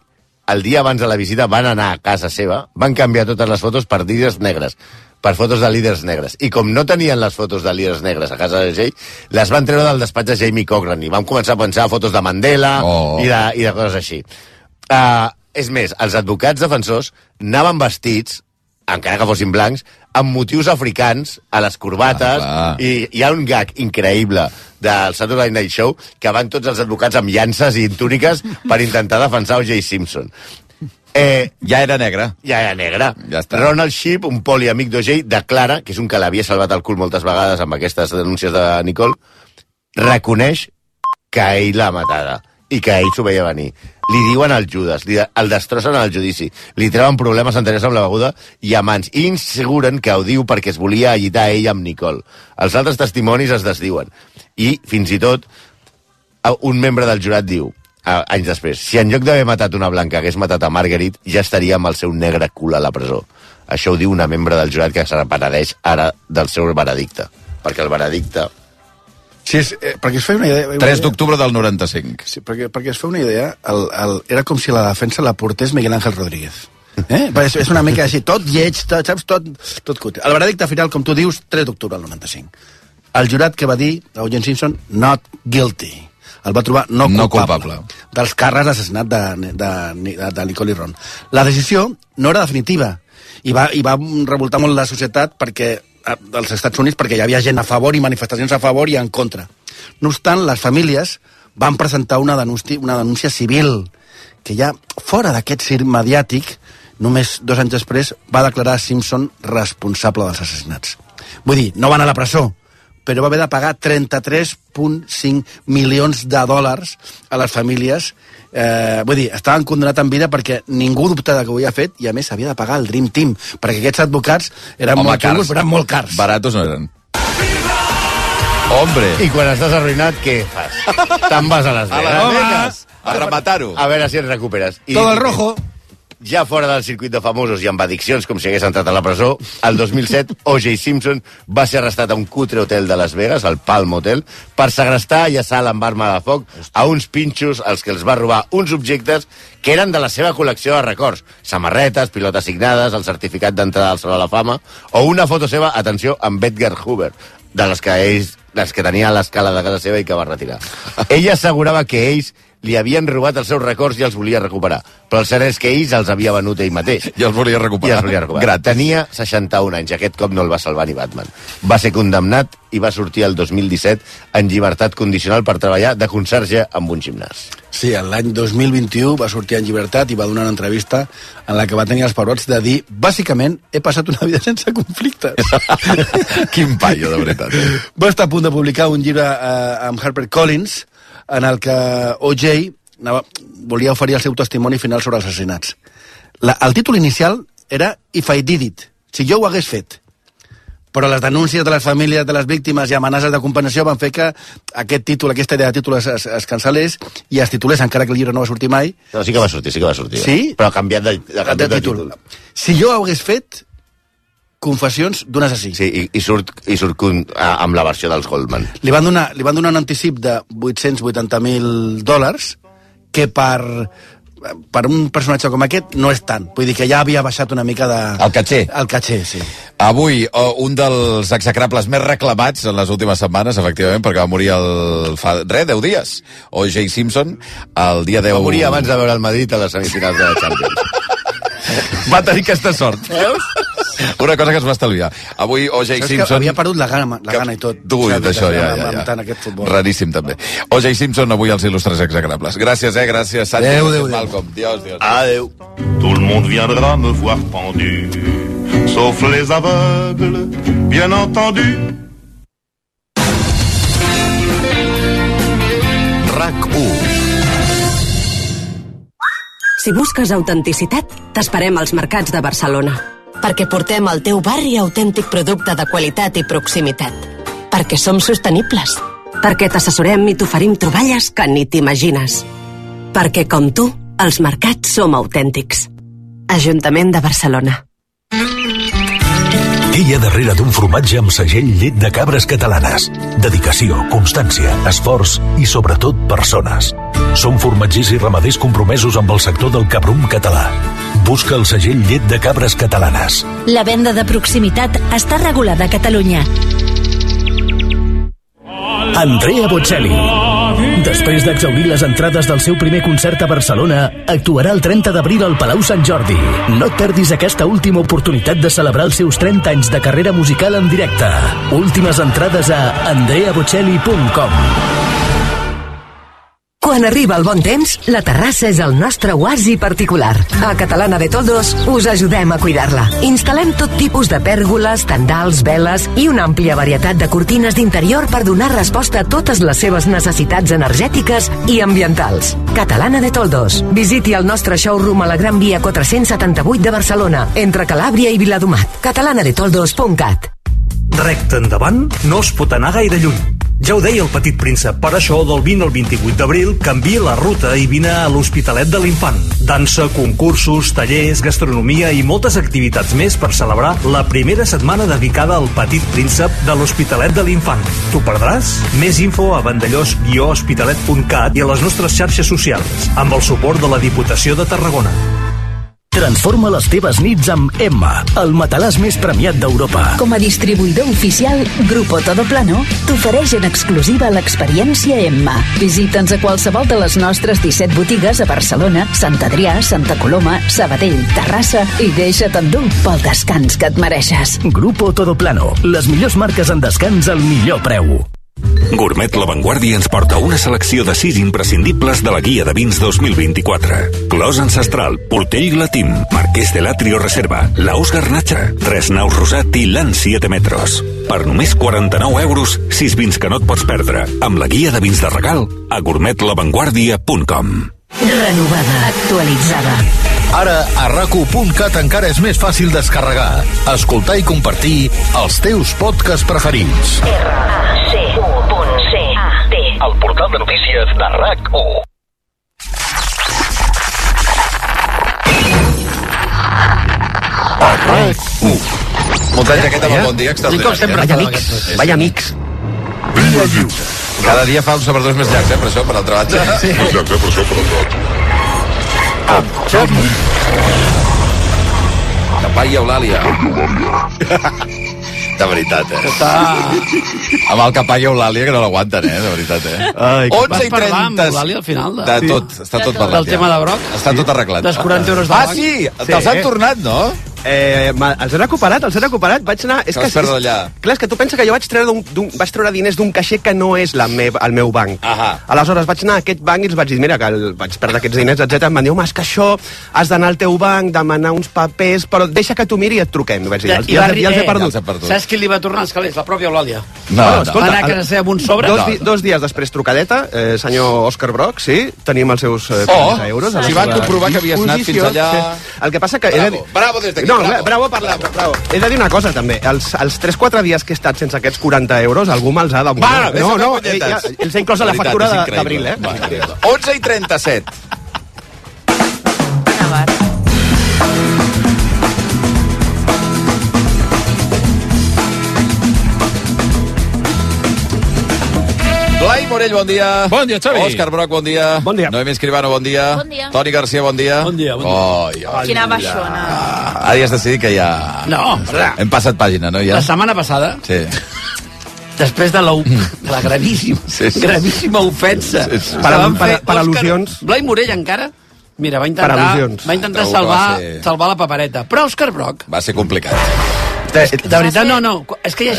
el dia abans de la visita, van anar a casa seva, van canviar totes les fotos per líders negres, per fotos de líders negres. I com no tenien les fotos de líders negres a casa d'O.J., les van treure del despatx de Jamie Cochran i van començar a pensar fotos de Mandela i de coses així. És més, els advocats defensors anaven vestits encara que fossin blancs, amb motius africans a les corbates, i hi ha un gag increïble del Saturday Night Show que van tots els advocats amb llances i túniques per intentar defensar O.J. Simpson. Ja era negre. Ja està. Ronald Sheep, un poliamic d'O.J., declara, que és un que l'havia salvat el cul moltes vegades amb aquestes denúncies de Nicole, reconeix que ell l'ha matada i que ell s'ho veia venir. Li diuen al Judas, el destrossen al judici, li treuen problemes anteriors amb la beguda i amants, i inseguren que ho diu perquè es volia allitar ell amb Nicole. Els altres testimonis es desdiuen. I, fins i tot, un membre del jurat diu, anys després, si en lloc d'haver matat una blanca hagués matat a Marguerite, ja estaria amb el seu negre cul a la presó. Això ho diu una membre del jurat que se penedeix ara del seu veredicte. Perquè el veredicte... Sí, perquè es feia una idea... 3 d'octubre del 95. Sí, perquè es feia una idea, era com si la defensa la portés Miguel Ángel Rodríguez. És una mica així, tot lleig, saps? Tot cutre. El veredicte final, com tu dius, 3 d'octubre del 95. El jurat que va dir a O.J. Simpson, not guilty. El va trobar no culpable. Dels càrrecs d'assassinat de Nicole i Ron. La decisió no era definitiva i va revoltar molt la societat dels Estats Units perquè hi havia gent a favor i manifestacions a favor i en contra. No obstant, les famílies van presentar una denúncia civil que ja fora d'aquest circ mediàtic, només 2 anys després, va declarar Simpson responsable dels assassinats. Vull dir, no va anar a la presó, però va haver de pagar 33,5 milions de dòlars a les famílies. Vull dir, estaven condenats en vida perquè ningú dubtava que ho havia fet i a més havia de pagar el Dream Team, perquè aquests advocats eren molt cars, però eren molt cars. Baratos no eren. Hombre! I quan estàs arruïnat, què fas? Te'n vas a Las Vegas. A rematar-ho. A veure si et recuperes. Todo el rojo. Ja fora del circuit de famosos i amb addiccions, com si hagués entrat a la presó, el 2007 O.J. Simpson va ser arrestat a un cutre hotel de Las Vegas, el Palm Hotel, per segrestar i assalt amb arma de foc a uns pinxos als que els va robar uns objectes que eren de la seva col·lecció de records, samarretes, pilotes signades, el certificat d'entrada al Saló de la Fama, o una foto seva, atenció, amb Edgar Hoover, de les que tenia a l'escala de casa seva i que va retirar. Ella assegurava que ells li havien robat els seus records i els volia recuperar. Però el cert és que ells els havia venut ell mateix. I els volia recuperar. Gratis. Tenia 61 anys. Aquest cop no el va salvar ni Batman. Va ser condemnat i va sortir el 2017 en llibertat condicional per treballar de conserge amb un gimnàs. Sí, l'any 2021 va sortir en llibertat i va donar una entrevista en la que va tenir els pebrots de dir, bàsicament, he passat una vida sense conflictes. Quin paio, de veritat. Va estar a punt de publicar un llibre amb HarperCollins en el que O.J. volia oferir el seu testimoni final sobre els assassinats. El títol inicial era If I Did It, si jo ho hagués fet. Però les denúncies de les famílies de les víctimes i amenaces de compensació van fer que aquest títol, aquesta idea de títol es cancel·lés i es titulés, encara que el llibre no va sortir mai. No, sí que va sortir. Sí? Però ha canviat de títol. Si jo ho hagués fet, confessions d'un assassí. Sí, i surt amb la versió dels Goldman. Li van donar un anticip de $880,000 que per un personatge com aquest no és tant. Vull dir que ja havia baixat una mica de... El caché. El caché, sí. Avui, un dels execrables més reclamats en les últimes setmanes, efectivament, perquè va morir fa 10 dies. O.J. Simpson, el dia 10... Va morir abans de veure el Madrid a les semifinals de la Champions. Va tenir aquesta sort. Veus? Una cosa que es va estalviar. Avui O.J. Simpson... havia perdut la gana i tot. Ui, d'això, ja. Raríssim, també. O.J. Simpson, avui als il·lustres execrables. Gràcies, gràcies. Adéu. Malcolm. Dios. Adéu. Tout le monde viendra me voir pendu, sauf les aveugles, bien entendu. RAC1. Si busques autenticitat, t'esperem als mercats de Barcelona. Perquè portem al teu barri autèntic producte de qualitat i proximitat. Perquè som sostenibles. Perquè t'assessorem i t'oferim troballes que ni t'imagines. Perquè, com tu, els mercats som autèntics. Ajuntament de Barcelona. Què hi ha darrere d'un formatge amb segell llet de cabres catalanes? Dedicació, constància, esforç i, sobretot, persones. Som formatgers i ramaders compromesos amb el sector del cabrum català. Busca el segell llet de cabres catalanes. La venda de proximitat està regulada a Catalunya. Andrea Bocelli, Després d'exhaurir les entrades del seu primer concert a Barcelona, actuarà el 30 d'abril al Palau Sant Jordi. No et perdis aquesta última oportunitat de celebrar els seus 30 anys de carrera musical en directe. Últimes entrades a andreabocelli.com. Quan arriba el bon temps, la terrassa és el nostre oasi particular. A Catalana de Toldos us ajudem a cuidar-la. Instal·lem tot tipus de pèrgoles, tendals, veles i una àmplia varietat de cortines d'interior per donar resposta a totes les seves necessitats energètiques i ambientals. Catalana de Toldos. Visiti el nostre showroom a la Gran Via 478 de Barcelona, entre Calàbria i Viladomat. catalanadetoldos.cat. Recte endavant no es pot anar gaire lluny. Ja ho deia el Petit Príncep, per això del 20 al 28 d'abril canvia la ruta i vine a l'Hospitalet de l'Infant. Dansa, concursos, tallers, gastronomia i moltes activitats més per celebrar la primera setmana dedicada al Petit Príncep de l'Hospitalet de l'Infant. T'ho perdràs? Més info a vandellós-hospitalet.cat i a les nostres xarxes socials, amb el suport de la Diputació de Tarragona. Transforma les teves nits amb Emma, el matalàs més premiat d'Europa. Com a distribuïdor oficial, Grupo Todoplano t'ofereix en exclusiva l'experiència Emma. Visita'ns a qualsevol de les nostres 17 botigues a Barcelona, Sant Adrià, Santa Coloma, Sabadell, Terrassa i deixa't endur pel descans que et mereixes. Grupo Todoplano, les millors marques en descans al millor preu. Gourmet La Vanguardia ens porta una selecció de 6 imprescindibles de la guia de vins 2024. Clos Ancestral, Portell Glatim, Marqués de l'Atrio Reserva, Laus Garnacha, Tres Naus Rosat i Lan 7 Metros. Per només 49 euros, 6 vins que no et pots perdre, amb la guia de vins de regal a gourmetlavanguardia.com. Renovada, actualitzada. Ara, a RAC1.cat encara és més fàcil descarregar, escoltar i compartir els teus podcasts preferits. RAC1.cat. El portal de notícies de RAC1. Muntatge aquest amb el bon dia extraordinari. Vaya amics. Cada dia fa uns saberdors més llargs, per això, per altra banda. Sí. Més llarg, per això, per altra. Capai i Eulàlia. De veritat, Amb el Capai i Eulàlia, que no l'aguanten, de veritat, Ai, 11 i 30... amb l'Eulàlia al final? De tot, està tot parlat. Del tema de Broc? Està tot arreglat. Dels 40 euros de banc? Sí, te'ls han tornat, no? Els he recuperat, vaig anar... Que vas perdre allà. Clar, és que tu pensa que jo vaig treure diners d'un caixer que no és el meu banc. Aleshores vaig anar a aquest banc i els vaig dir, mira, que vaig perdre aquests diners, etc. Em van dir, home, és que això has d'anar al teu banc, demanar uns papers, però deixa que tu miri i et truquem. I vaig dir, ja els he perdut. Saps qui li va tornar els calés? La pròpia Eulàlia. No. Va anar a casa seva amb un sobre? Dos dies després, trucadeta, senyor Òscar Broc, sí, tenim els seus 40 euros. Si van comprovar que havies anat fins allà... El que passa que... Bravo des d'aquí, bravo per bravo. He de dir una cosa, també. Els 3-4 dies que he estat sense aquests 40 euros, algú me'ls ha demanat. No, els he inclòs a la factura d'abril, 11 i 37. Blai Morell, bon dia. Bon dia, Xavi. Òscar Broc, bon dia. Bon dia. Noemí Escribano, bon dia. Bon dia. Toni Garcia, bon dia. Bon dia. Quina baixona. Ara ja has decidit que ja... No, hem passat pàgina, no? Ja? La setmana passada, Sí. després de la gravíssima ofensa Per al·lusions. Blai Morell encara, mira, va Per al·lusions. intentar Segur que salvar la papereta. Però Òscar Broc, Va ser complicat. De veritat, no, és que hi ha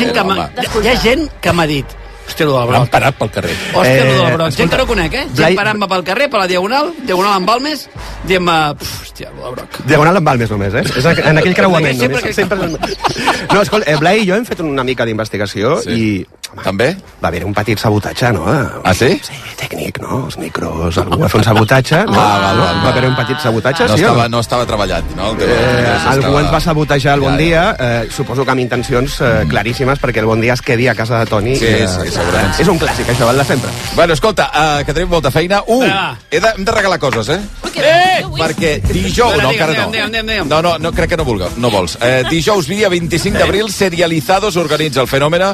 gent que m'ha dit, hòstia, allò del L'han Broc. parat pel carrer. Hòstia, allò del Broc. Gent que no conec, Gent parant-me pel carrer, per la Diagonal en Balmes, dient-me, hòstia, allò del Broc. Diagonal en Balmes només, És en aquell creuament. Sempre No, escolta, Blai i jo hem fet una mica d'investigació i... També? Va haver un petit sabotatge, no? Ah, sí? Sí, tècnic, no? Els micros, algú va fer un sabotatge, no? val. Va haver un petit sabotatge, sí o no? No estava treballat, no? Algú ens va sabotejar el Bon Dia, suposo que amb intencions claríssimes perquè el Bon Dia es quedi a casa de Toni. Sí, segurament. És un clàssic, això, val de sempre. Bueno, escolta, que tenim molta feina. Hem de regalar coses, Perquè dijous... No, encara no. No, crec que no vols. Dijous, dia 25 d'abril, Serializados organitza el Fenòmena.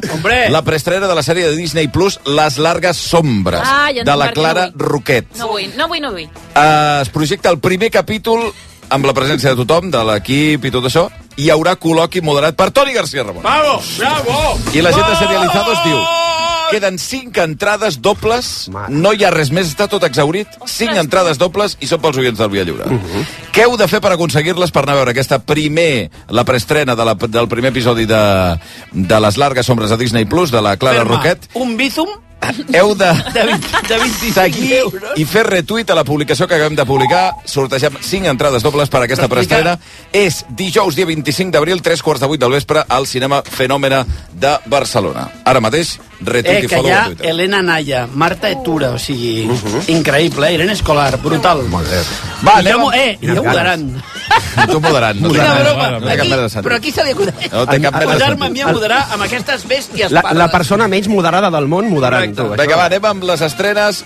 La preestrena de la sèrie de Disney Plus Les Largues Sombres, de la Clara Roquet. No vull. Es projecta el primer capítol amb la presència de tothom, de l'equip i tot això. Hi haurà col·loqui moderat per Toni Garcia Ramon. Bravo! I la gent de Serializados diu... Queden 5 entrades dobles, no hi ha res més, està tot exhaurit. 5 entrades dobles i són pels oients del Via Lliure. Què heu de fer per aconseguir-les per anar a veure aquesta la preestrena del primer episodi de Les largues sombres de Disney Plus, de la Clara Roquet? Un Bizum? Heu de 25 seguir i fer retuit a la publicació que acabem de publicar. Sortegem 5 entrades dobles per a aquesta preestrena. És dijous, dia 25 d'abril, 3:15 del vespre, al Cinema Fenòmena de Barcelona. Ara mateix, retuit i follow a Twitter. Elena Naya, Marta Etura, o sigui, increïble, Irene Escolar, brutal. Molt bé. Va, jo moderant. Tu moderant. Però aquí se li acudeix. No té cap mena de posar-me a mi a moderar amb aquestes bèsties. La persona menys moderada del món moderant. Vinga, va, anem amb les estrenes.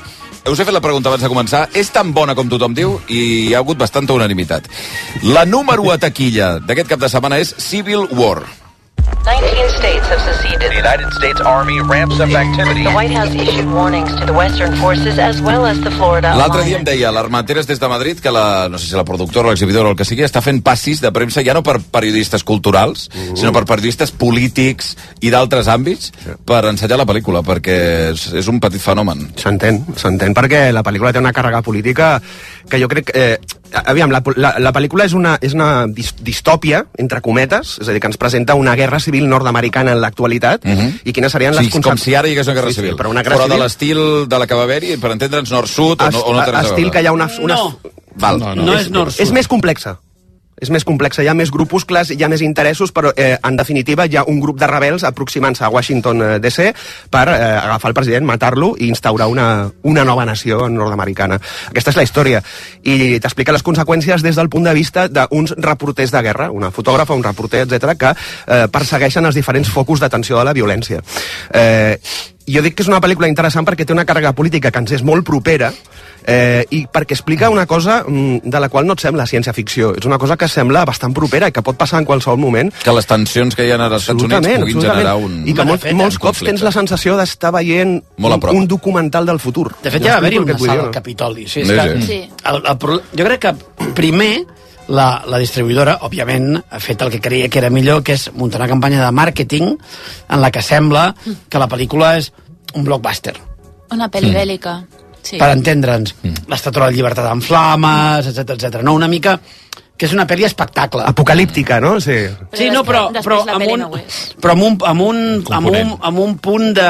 Us he fet la pregunta abans de començar. És tan bona com tothom diu i hi ha hagut bastanta unanimitat. La número 1 a taquilla d'aquest cap de setmana és Civil War. 19 states have seceded. The United States Army ramps up activity. The White House issued warnings to the Western forces as well as the Florida Alliance. L'altre dia em deia l'Armenteres des de Madrid que no sé si la productora o l'exhibidora o el que sigui està fent passis de premsa ja no per periodistes culturals, sinó per periodistes polítics i d'altres àmbits per ensenyar la pel·lícula, perquè és un petit fenomen. S'entén perquè la pel·lícula té una càrrega política que jo crec que... aviam, la pel·lícula és una distòpia, entre cometes, és a dir, que ens presenta una guerra civil nord-americana en l'actualitat i quines serien les conseqüències... Com si ara hi hagués una guerra civil. Però de l'estil de la que va haver-hi, per entendre'ns nord-sud o no té res a veure. Estil que hi ha una... No és nord-sud. És més complexa. És més complexa, hi ha més grupuscles, hi ha més interessos, però en definitiva hi ha un grup de rebels aproximant-se a Washington DC per agafar el president, matar-lo i instaurar una nova nació nord-americana. Aquesta és la història. I t'explica les conseqüències des del punt de vista d'uns reporters de guerra, una fotògrafa, un reporter, etc que persegueixen els diferents focus d'atenció de la violència. Jo dic que és una pel·lícula interessant perquè té una càrrega política que ens és molt propera i perquè explica una cosa de la qual no et sembla ciència-ficció. És una cosa que sembla bastant propera i que pot passar en qualsevol moment. Que les tensions que hi ha als Estats Units puguin generar un... I que molts cops tens la sensació d'estar veient un documental del futur. De fet, ja va haver-hi una sala al Capitoli. Jo crec que primer la distribuïdora, òbviament, ha fet el que creia que era millor, que és muntar una campanya de màrqueting en la que sembla que la pel·lícula és un blockbuster. Una pel·li bèl·lica. Sí. Per entendre'ns, l'Estàtua de la Llibertat en flames, etc. No, una mica que és una pel·li espectacle. Apocalíptica, no? Sí, no, però amb un punt de...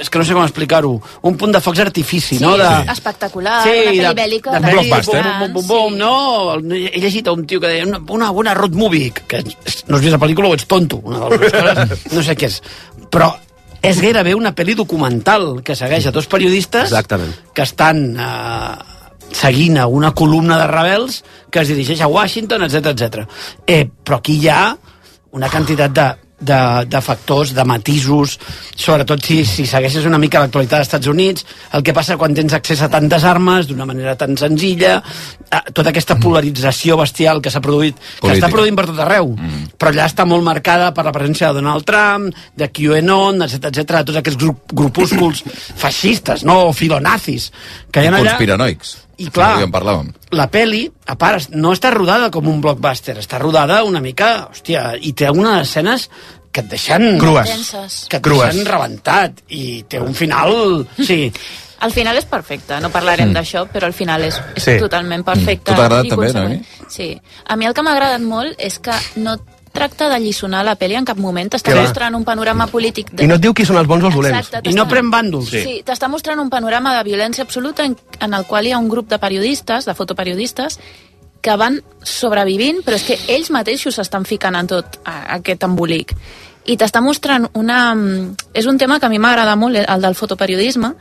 És que no sé com explicar-ho. Un punt de focs d'artifici, no? Espectacular, una pel·li bèl·lica. Un blockbuster. No, he llegit a un tio que deia una bona road movie, que no has vist la pel·lícula o ets tonto. Una de les coses, no sé què és. Però és gairebé una pel·li documental que segueix a dos periodistes que estan seguint a una columna de rebels que es dirigeix a Washington, etc. Però aquí hi ha una quantitat de factors, de matisos, sobretot si segueixes una mica l'actualitat dels Estats Units, el que passa quan tens accés a tantes armes d'una manera tan senzilla, tota aquesta polarització bestial que s'ha produït, que està produint per tot arreu, però allà està molt marcada per la presència de Donald Trump, de QAnon, etc. Tots aquests grupúsculs feixistes, no? O filonazis, que hi ha allà... Conspiranoics. I clar, la peli, a part, no està rodada com un blockbuster, està rodada una mica, hòstia, i té algunes escenes que et deixen... Crues. Que et deixen rebentat, i té un final... Sí. El final és perfecte, no parlarem d'això, però el final és totalment perfecte. Tu t'ha agradat també, no? Sí. A mi el que m'ha agradat molt és que no tracta de lliçonar la pel·li en cap moment, t'està mostrant un panorama polític... I no et diu qui són els bons o els dolents. I no pren bàndols. Sí, t'està mostrant un panorama de violència absoluta en el qual hi ha un grup de periodistes, de fotoperiodistes, que van sobrevivint, però és que ells mateixos s'estan ficant en tot aquest embolic. I t'està mostrant és un tema que a mi m'agrada molt, el del fotoperiodisme,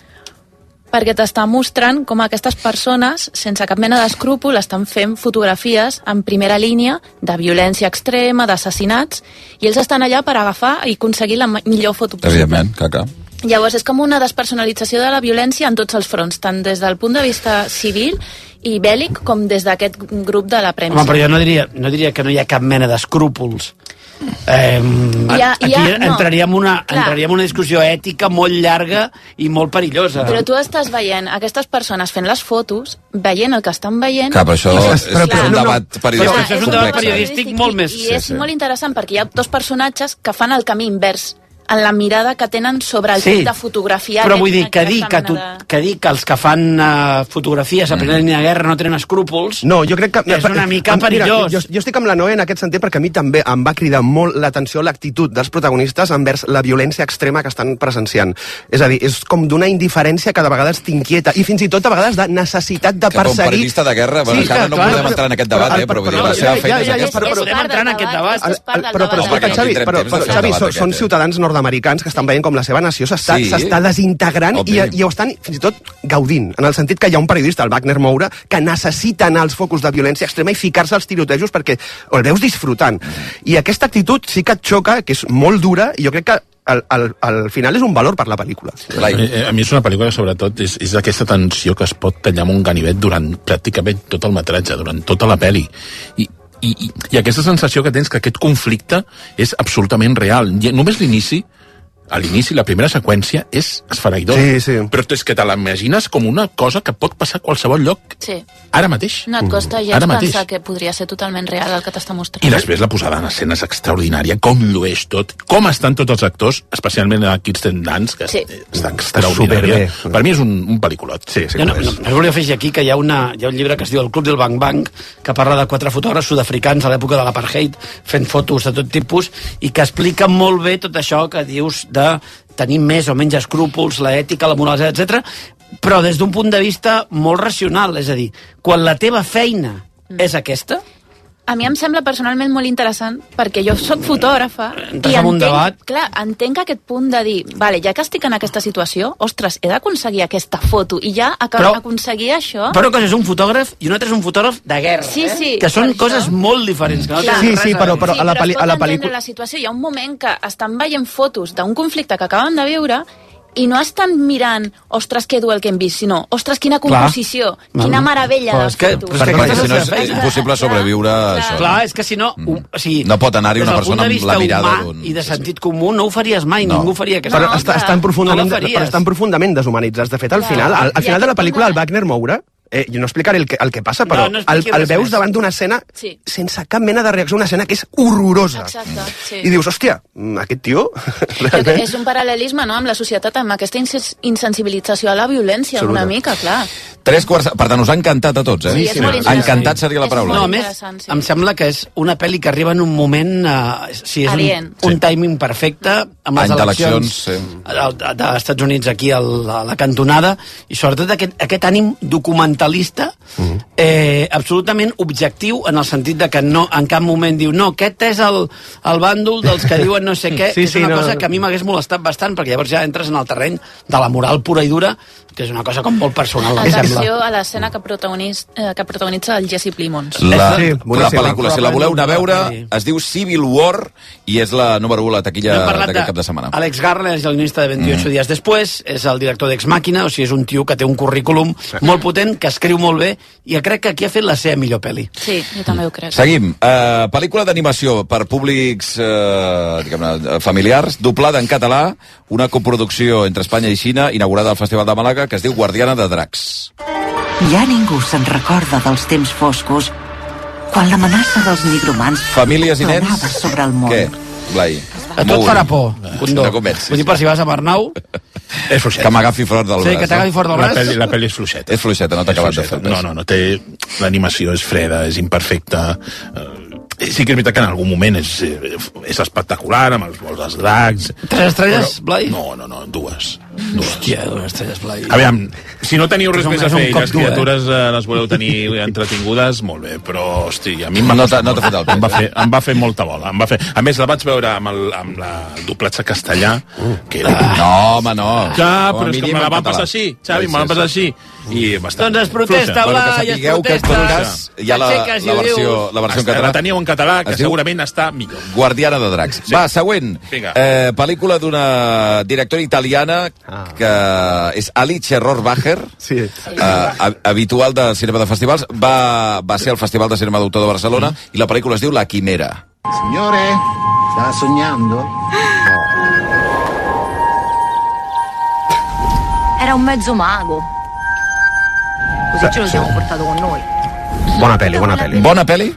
perquè t'està mostrant com aquestes persones, sense cap mena d'escrúpol, estan fent fotografies en primera línia de violència extrema, d'assassinats, i ells estan allà per agafar i aconseguir la millor foto possible. Evidentment, caca. Llavors, és com una despersonalització de la violència en tots els fronts, tant des del punt de vista civil i bèl·lic com des d'aquest grup de la premsa. Home, però jo no diria que no hi ha cap mena d'escrúpols. Aquí entraríem en una discussió ètica molt llarga i molt perillosa. Però tu estàs veient aquestes persones fent les fotos, veient el que estan veient... Clar, però això és un debat periodístic. Això és un debat periodístic molt més... I és molt interessant perquè hi ha dos personatges que fan el camí invers en la mirada que tenen sobre el Sí, fet de fotografiar. però vull dir que dir que els que fan fotografies a plena línia de guerra no tenen escrúpols No, jo crec que... és una mica perillós. Mira, jo estic amb la Noé en aquest sentit perquè a mi també em va cridar molt l'atenció l'actitud dels protagonistes envers la violència extrema que estan presenciant. És a dir, és com d'una indiferència que de vegades t'inquieta i fins i tot a vegades de necessitat de Que com perseguir... periodista de guerra, bueno, encara no podem entrar en aquest debat, però vull dir, la seva feina és aquesta. Podem entrar en aquest debat. Però escolta, Xavi, són ciutadans nord-americans que estan veient com la seva nació s'està desintegrant i ho estan fins i tot gaudint, en el sentit que hi ha un periodista, el Wagner Moura, que necessita anar als focus de violència extrema i ficar-se als tirotejos perquè el veus disfrutant. I aquesta actitud sí que et xoca, que és molt dura, i jo crec que al final és un valor per la pel·lícula. A mi és una pel·lícula que sobretot és aquesta tensió que es pot tallar amb un ganivet durant pràcticament tot el metratge, durant tota la pel·li. I aquesta sensació que tens que aquest conflicte és absolutament real. Només l'inici, a l'inici, la primera seqüència és esfereïdor. Sí. Però és que te l'imagines com una cosa que pot passar a qualsevol lloc ara mateix. No et costa gens pensar que podria ser totalment real el que t'està mostrant. I després la posada en escena és extraordinària, com llueix tot, com estan tots els actors, especialment a Kirsten Dunst, que està extraordinària. Per mi és un pel·lículot. Jo no volia afegir aquí que hi ha un llibre que es diu El Club del Bang Bang, que parla de 4 fotògrafs sud-africans a l'època de l'apartheid, fent fotos de tot tipus, i que explica molt bé tot això que dius de tenir més o menys escrúpols, l'ètica, la moral, etc. Però des d'un punt de vista molt racional, és a dir, quan la teva feina és aquesta... A mi em sembla personalment molt interessant perquè jo sóc fotògrafa i entenc aquest punt de dir, vale, ja que estic en aquesta situació, ostres, he d'aconseguir aquesta foto i ja aconseguir això... Però una cosa és un fotògraf i un altre és un fotògraf de guerra, que són coses molt diferents. Però a la pel·lícula... la situació, hi ha un moment que estan veient fotos d'un conflicte que acaben de viure i no estan mirant, ostres, que dur el que hem vist, sinó, ostres, quina composició, quina meravella de fotos. Perquè si no és impossible sobreviure a això. Clar, és que si no... No pot anar-hi una persona amb la mirada d'un... I de sentit comú no ho faries mai, ningú faria aquesta... Però estan profundament deshumanitzats. De fet, al final de la pel·lícula, el Wagner Moura, jo no explicaré el que passa, però el veus davant d'una escena sense cap mena de reacció, una escena que és horrorosa. I dius, hòstia, aquest tio... És un paral·lelisme, no?, amb la societat, amb aquesta insensibilització a la violència, una mica, clar. 3/4... Per tant, us ha encantat a tots, eh? Sí, és molt interessant. Encantat seria la paraula. No, a més, em sembla que és una pel·li que arriba en un moment... és un timing perfecte, amb les eleccions dels Estats Units aquí a la cantonada, i sobretot aquest ànim documentalista absolutament objectiu, en el sentit de que no, en cap moment diu no, aquest és el bàndol dels que diuen no sé què, és una cosa que a mi m'hagués molestat bastant, perquè llavors ja entres en el terreny de la moral pura i dura, que és una cosa com molt personal. Atenció a l'escena que protagonitza el Jesse Plimons. La pel·lícula, si la voleu anar a veure, es diu Civil War i és la número 1 a la taquilla d'aquest cap de setmana. Alex Garland és el guionista de 28 dies després, és el director d'Ex Màquina, o sigui, és un tio que té un currículum molt potent, que escriu molt bé, i crec que aquí ha fet la seva millor pel·li. Sí, jo també ho crec. Seguim. Pel·lícula d'animació per públics familiars, doblada en català, una coproducció entre Espanya i Xina, inaugurada al Festival de Màlaga, que es diu Guardiana de Dracs. Ja ningú se'n recorda dels temps foscos, quan l'amenaça dels nigromants famílies i nens sobre el món. Què, Blai? A tot farà por. No comencis. Vull dir, per si vas a Arnau... És fluixet. Que m'agafi fort del braç. Sí, que t'agafi fort del braç. La pel·li és fluixeta. És fluixeta, no t'ha acabat de fer res. No, té... L'animació és freda, és imperfecta... Sí que és veritat que en algun moment és espectacular, amb els vols dels dracs... 3 estrelles, Blai? No, 2. Hòstia, 2 estrelles, Blai. Aviam, si no teniu res més a fer i les criatures les voleu tenir entretingudes, molt bé, però, hosti, a mi no t'ha fet el temps. Em va fer molta bola. A més, la vaig veure amb el doblatge castellà, que era... No, home, no. Ja, però és que me la van passar així, Xavi, me la van passar així. Doncs es protesta, Blai, es protesta. Hi ha la versió en català. La teníeu en català, que segurament està millor. Guardiana de Dracs. Va, següent. Pel·lícula d'una directora italiana que és Alice Rohrwacher, habitual de cinema de festivals. Va ser al Festival de Cinema d'Autor de Barcelona i la pel·lícula es diu La Quimera. Signore, ¿está soñando? Era un mezzo mago. Così ce lo siamo portato con noi. Bona pel·li. Bona pel·li?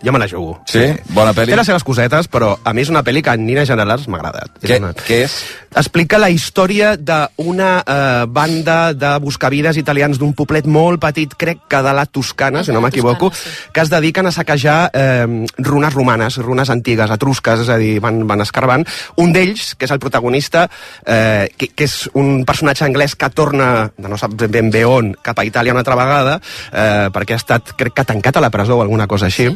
jo me la jugo. Sí? Bona pel·li? Té les seves cosetes, però a mi és una pel·li que en línies generals m'ha agradat. Què és? Explica la història d'una banda de buscavides italians d'un poblet molt petit, crec que de la Toscana, si no m'equivoco, que es dediquen a saquejar runes romanes, runes antigues, etrusques, és a dir, van escarbant. Un d'ells, que és el protagonista, que és un personatge anglès que torna, no sap ben bé on, cap a Itàlia una altra vegada, perquè ha estat, crec que tancat a la presó o alguna cosa així.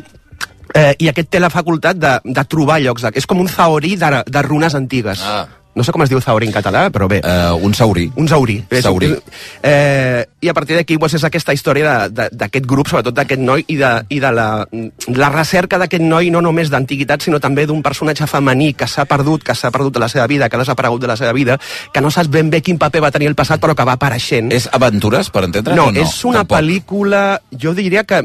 I aquest té la facultat de trobar llocs. És com un zahorí de runes antigues. No sé com es diu zahorí en català, però bé. Un saurí. Un saurí. Saurí. I a partir d'aquí és aquesta història d'aquest grup, sobretot d'aquest noi, i de la recerca d'aquest noi, no només d'antiguitat, sinó també d'un personatge femení que s'ha perdut de la seva vida, que ha desaparegut de la seva vida, que no saps ben bé quin paper va tenir el passat, però que va apareixent. És aventures, per entendre? No, és una pel·lícula, jo diria que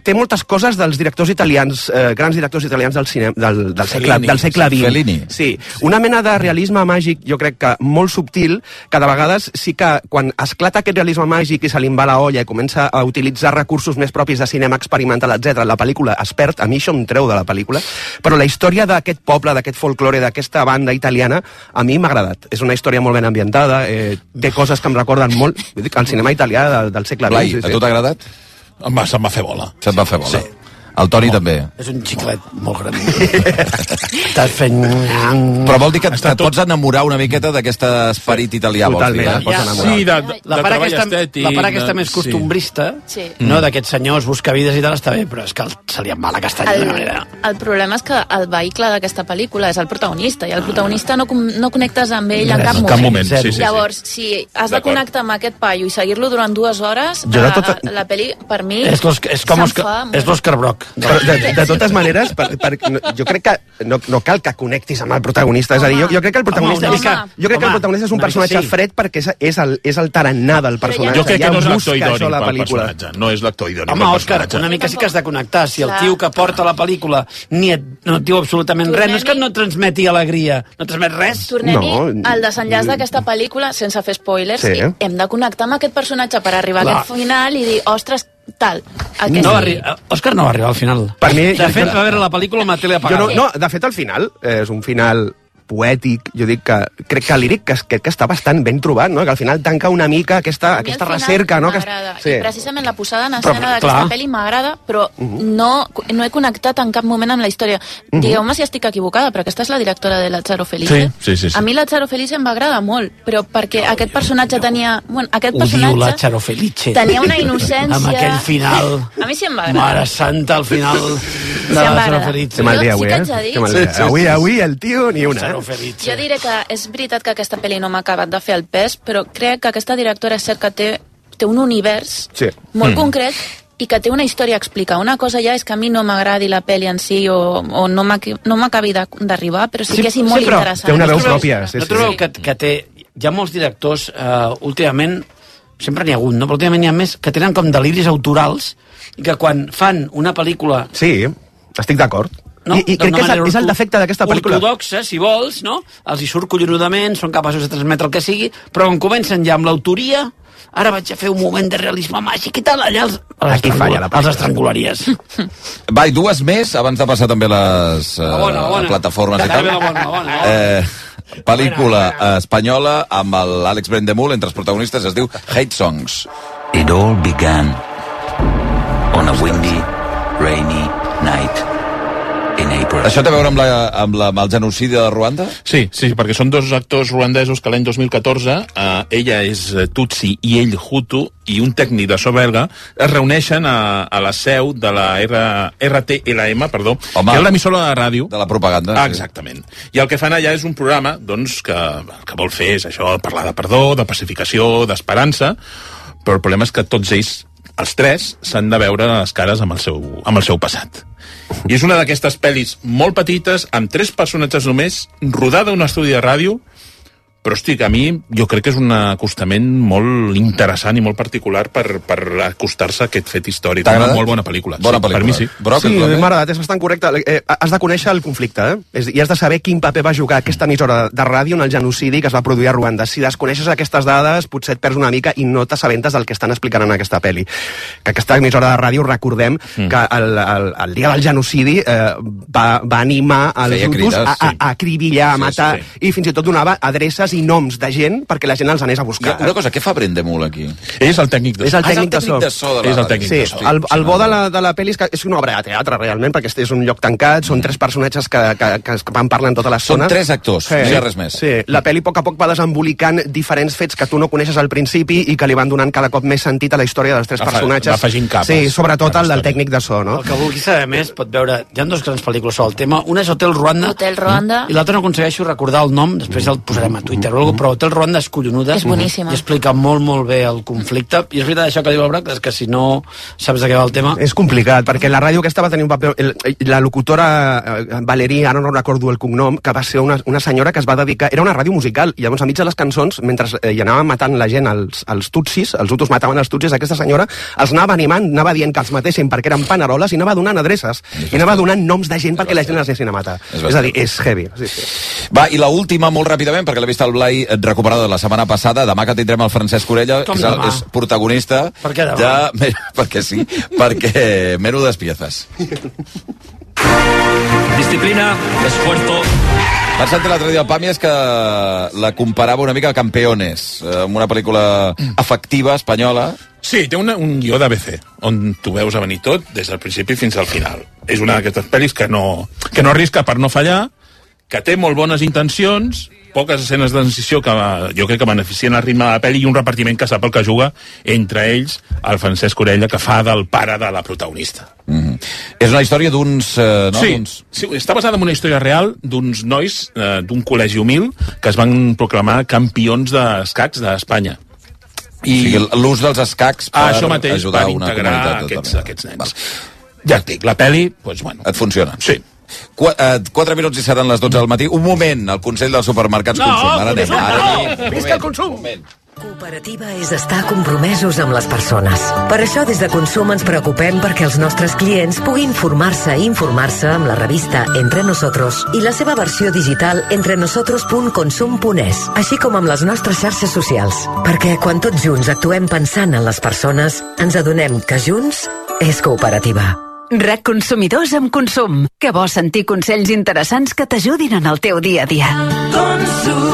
té moltes coses dels directors italians, grans directors italians del cinema, del segle XX. Fellini. Sí, una mena de realisme màgic, jo crec que molt subtil, que de vegades sí que quan esclata aquest realisme màgic i se li va la olla i comença a utilitzar recursos més propis de cinema experimental, etc. La pel·lícula es perd, a mi això em treu de la pel·lícula, però la història d'aquest poble, d'aquest folklore, d'aquesta banda italiana, a mi m'ha agradat. És una història molt ben ambientada, té coses que em recorden molt el cinema italià del segle XX. Blai, a tu t'ha agradat? Se'm va fer bola. Se't va fer bola. Sí. El Toni també. És un xiclet molt gran. Estàs fent... Però vol dir que et pots enamorar una miqueta d'aquest esperit italià, vols dir? Sí, la part aquesta més costumbrista, no d'aquests senyors buscavides i tal, està bé, però és que se li en va la castanya d'una manera. El problema és que el vehicle d'aquesta pel·lícula és el protagonista, i el protagonista no connectes amb ell en cap moment. Llavors, si has de connectar amb aquest paio i seguir-lo durant 2 hores, la pel·li, per mi, és l'Òscar Brock. De totes maneres, jo crec que no cal que connectis amb el protagonista. És a dir, jo crec que el protagonista és un personatge fred perquè és el tarannà del personatge. Jo crec que no és l'actor idònic pel personatge. No és l'actor idònic pel personatge. Home, Òscar, una mica sí que has de connectar. Si el tio que porta la pel·lícula no et diu absolutament res, no és que no transmeti alegria, no transmet res. Tornem-hi al desenllaç d'aquesta pel·lícula, sense fer spoilers, i hem de connectar amb aquest personatge per arribar a aquest final i dir, ostres, tal. Òscar no va arribar al final. Per mi, de fet, va veure la pel·lícula amb la tele apagada. No, de fet, al final és un final poètic, jo dic que crec que líric que està bastant ben trobat, no? Que al final tanca una mica aquesta recerca, no? M'agrada. I precisament la posada en escena d'aquesta pel·li m'agrada, però no he connectat en cap moment amb la història. Digueu-me si estic equivocada, però aquesta és la directora de Lazzaro Felice. Sí. A mi Lazzaro Felice em va agradar molt, però perquè aquest personatge tenia... Aquest personatge Lazzaro Felice. Tenia una innocència... Amb aquell final... A mi sí em va agradar. Mare santa, al final de Lazzaro Felice. Que mal dia avui, Avui el tio ni una. Jo diré que és veritat que aquesta pel·li no m'ha acabat de fer el pes, però crec que aquesta directora és cert que té un univers molt concret i que té una història a explicar. Una cosa ja és que a mi no m'agradi la pel·li en si o no m'acabi d'arribar, però sí que és molt interessant. Té una veu pròpia. No trobeu que té... Hi ha molts directors, últimament, sempre n'hi ha hagut, no? Però últimament n'hi ha més que tenen com deliris autorals i que quan fan una pel·lícula... Sí, estic d'acord. No? I crec que és el defecte d'aquesta pel·lícula. Ortodoxa, si vols, no? Els hi surt collonudament, són capaços de transmetre el que sigui, però quan comencen ja amb l'autoria, ara vaig a fer un moment de realisme màgic i tal, allà els estrangularies. Va, i 2 més, abans de passar també les plataformes i tal. Pel·lícula espanyola amb l'Àlex Brendemul entre els protagonistes, es diu Hate Songs. It all began on a windy, rainy night. Això té a veure amb el genocidi de Ruanda? Sí, perquè són 2 actors ruandesos que l'any 2014, ella és Tutsi i ell Hutu, i un tècnic de so belga es reuneixen a la seu de la RTLM, que és l'emissora de ràdio. De la propaganda. Exactament. I el que fan allà és un programa que vol fer és això, parlar de perdó, de pacificació, d'esperança, però el problema és que tots ells, els 3, s'han de veure les cares amb el seu passat. I és una d'aquestes pel·lis molt petites, amb 3 personatges només, rodada a un estudi de ràdio, però, hosti, a mi jo crec que és un acostament molt interessant i molt particular per acostar-se a aquest fet històric. Una molt bona pel·lícula. Bona pel·lícula. Per mi sí. Sí, m'ha agradat, és bastant correcte. Has de conèixer el conflicte, i has de saber quin paper va jugar aquesta emissora de ràdio en el genocidi que es va produir a Ruanda. Si desconeixes aquestes dades, potser et perds una mica i no t'assabentes del que estan explicant en aquesta pel·li. Que aquesta emissora de ràdio, recordem que el dia del genocidi va animar els hutus a acribillar, a matar, i fins i tot donava adreces i noms de gent perquè la gent els anés a buscar. Una cosa, què fa Brendemul aquí? És el tècnic de so. És el tècnic de so. És el tècnic de so. El bo de la pel·li és que és una obra de teatre, realment, perquè és un lloc tancat, són 3 personatges que van parlant tota l'estona. Són 3 actors, no hi ha res més. Sí, la pel·li a poc va desembolicant diferents fets que tu no coneixes al principi i que li van donant cada cop més sentit a la història dels 3 personatges. Va afegint capes. Sí, sobretot el del tècnic de so, no? El que vulgui saber més pot veure... Hi ha 2 grans pel·lícules sobre el tema. Una és Hotel Ruanda. I l'altra no aconsegueixo recordar el nom, després el posarem a Twitter o alguna, però Hotel Ruanda és collonuda. És boníssima. I explica molt bé el conflicte. I és veritat això que diu el Brac, és que si no saps de què va el tema... És complicat, perquè la ràdio aquesta va tenir un paper... La locutora Valerie, ara no recordo el cognom, que va ser una senyora que es va dedicar... Era una ràdio musical, i llavors enmig de les cançons, mentre hi anaven matant la gent, els tutsis, els hutus mataven els tutsis, aquesta senyora els anava animant, anava dient que els matessin perquè eren paneroles i anava donant adreces, i anava donant noms de gent perquè la gent les anessin a matar. És a dir, és heavy. Sí. Va, i l'última, molt ràpidament, perquè l'he vist al Blai recuperada de la setmana passada. Demà que tindrem el Francesc Orella, que és protagonista de... Perquè sí, perquè Menú Despieces. Disciplina, esfuerzo... Vaig sentir l'altre dia al Pàmies que la comparava una mica a Campeones, amb una pel·lícula efectiva espanyola. Sí, té un guió d'ABC, on tu veus a venir tot, des del principi fins al final. És una d'aquestes pel·lis que no arrisca per no fallar, que té molt bones intencions, poques escenes de transició que jo crec que beneficien el ritme de la pel·li i un repartiment que sap el que juga, entre ells el Francesc Orella, que fa del pare de la protagonista. És una història d'uns... Sí, està basada en una història real d'uns nois d'un col·legi humil que es van proclamar campions d'escacs d'Espanya. O sigui, l'ús dels escacs per ajudar una comunitat. Aquests nens. Ja et dic, la pel·li, doncs, bueno... Et funciona? Sí. 4 minuts i seran les 12 del matí. Un moment, el Consell dels Supermercats Consum. Ara anem. Visca el consum! Cooperativa és estar compromesos amb les persones. Per això des de Consum ens preocupem perquè els nostres clients puguin formar-se i informar-se amb la revista Entre Nosotros i la seva versió digital entrenosotros.consum.es, així com amb les nostres xarxes socials. Perquè quan tots junts actuem pensant en les persones, ens adonem que junts és cooperativa. RAC Consumidors amb Consum. Que bo sentir consells interessants que t'ajudin en el teu dia a dia.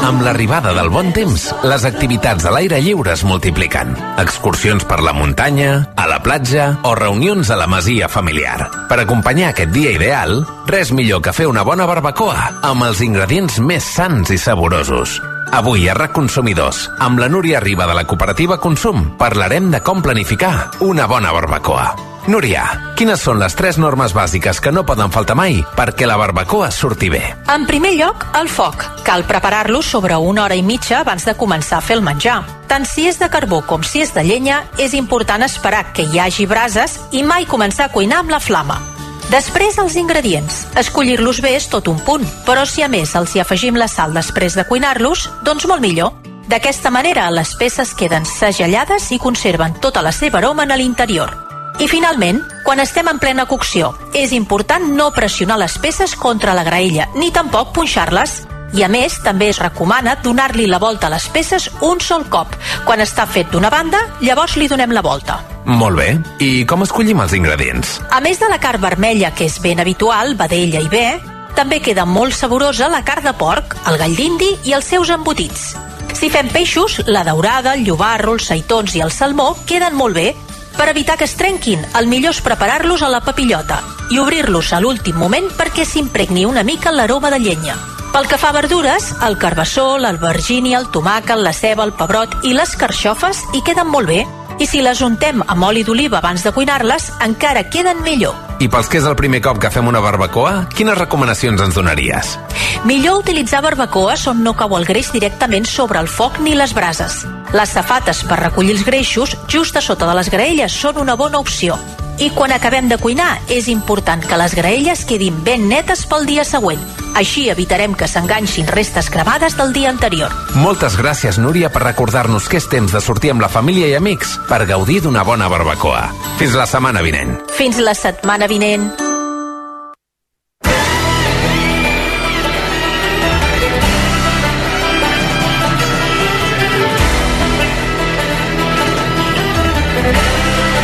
Amb l'arribada del bon temps, les activitats a l'aire lliure es multipliquen. Excursions per la muntanya, a la platja o reunions a la masia familiar. Per acompanyar aquest dia ideal, res millor que fer una bona barbacoa amb els ingredients més sans i saborosos. Avui a RAC Consumidors, amb la Núria Riba de la cooperativa Consum, parlarem de com planificar una bona barbacoa. Núria, quines són les 3 normes bàsiques que no poden faltar mai perquè la barbacoa surti bé? En primer lloc, el foc. Cal preparar-lo sobre 1 hora i mitja abans de començar a fer el menjar. Tant si és de carbó com si és de llenya, és important esperar que hi hagi brases i mai començar a cuinar amb la flama. Després, els ingredients. Escollir-los bé és tot un punt, però si a més els hi afegim la sal després de cuinar-los, doncs molt millor. D'aquesta manera, les peces queden segellades i conserven tota la seva aroma en l'interior. I finalment, quan estem en plena cocció, és important no pressionar les peces contra la graella, ni tampoc punxar-les. I a més, també es recomana donar-li la volta a les peces un sol cop. Quan està fet d'una banda, llavors li donem la volta. Molt bé. I com escollim els ingredients? A més de la carn vermella, que és ben habitual, vedella i bé, també queda molt saborosa la carn de porc, el gall d'indi i els seus embotits. Si fem peixos, la daurada, el llobarro, els seitons i el salmó queden molt bé. Per evitar que es trenquin, el millor és preparar-los a la papillota i obrir-los a l'últim moment perquè s'impregni una mica l'aroma de llenya. Pel que fa a verdures, el carbassó, l'albergínia, el tomàquet, la ceba, el pebrot i les carxofes hi queden molt bé. I si les untem amb oli d'oliva abans de cuinar-les, encara queden millor. I pels que és el primer cop que fem una barbacoa, quines recomanacions ens donaries? Millor utilitzar barbacoes on no cau el greix directament sobre el foc ni les brases. Les safates per recollir els greixos just a sota de les graelles són una bona opció. I quan acabem de cuinar, és important que les graelles quedin ben netes pel dia següent. Així evitarem que s'enganxin restes gravades del dia anterior. Moltes gràcies, Núria, per recordar-nos que és temps de sortir amb la família i amics per gaudir d'una bona barbacoa. Fins la setmana vinent. Fins la setmana vinent.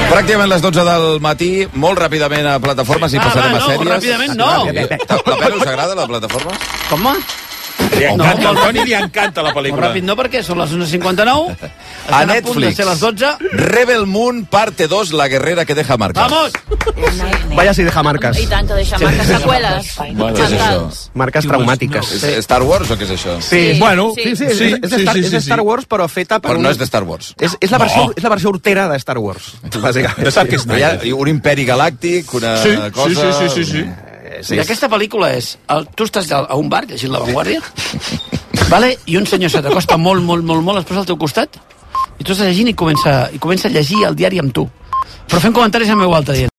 Pràcticament les 12 del matí, molt ràpidament a plataformes i passarem a sèries. No, ràpidament no. La Pere us agrada, la plataforma? Com? Li encanta, al Toni li encanta la pel·lícula. Molt ràpid no, perquè són les 11:59. A Netflix, a les 12. Rebel Moon, parte 2, la guerrera que deja marcas. ¡Vamos! Vaya si deja marcas. I tant que deixa marques, seqüeles. Què és això? Marques traumàtiques. És Star Wars o què és això? Sí, bueno, sí, és de Star Wars, però feta per Però no és de Star Wars. És la versió hortera de Star Wars, bàsicament. De Zack Snyder. Hi ha un imperi galàctic, una cosa... Sí. I aquesta pel·lícula és... Tu estàs a un bar llegint La Vanguardia, vale? I un senyor se t'acosta molt, es posa al teu costat, i tu estàs llegint i comença a llegir el diari amb tu. Però fent comentaris en veu alta, dient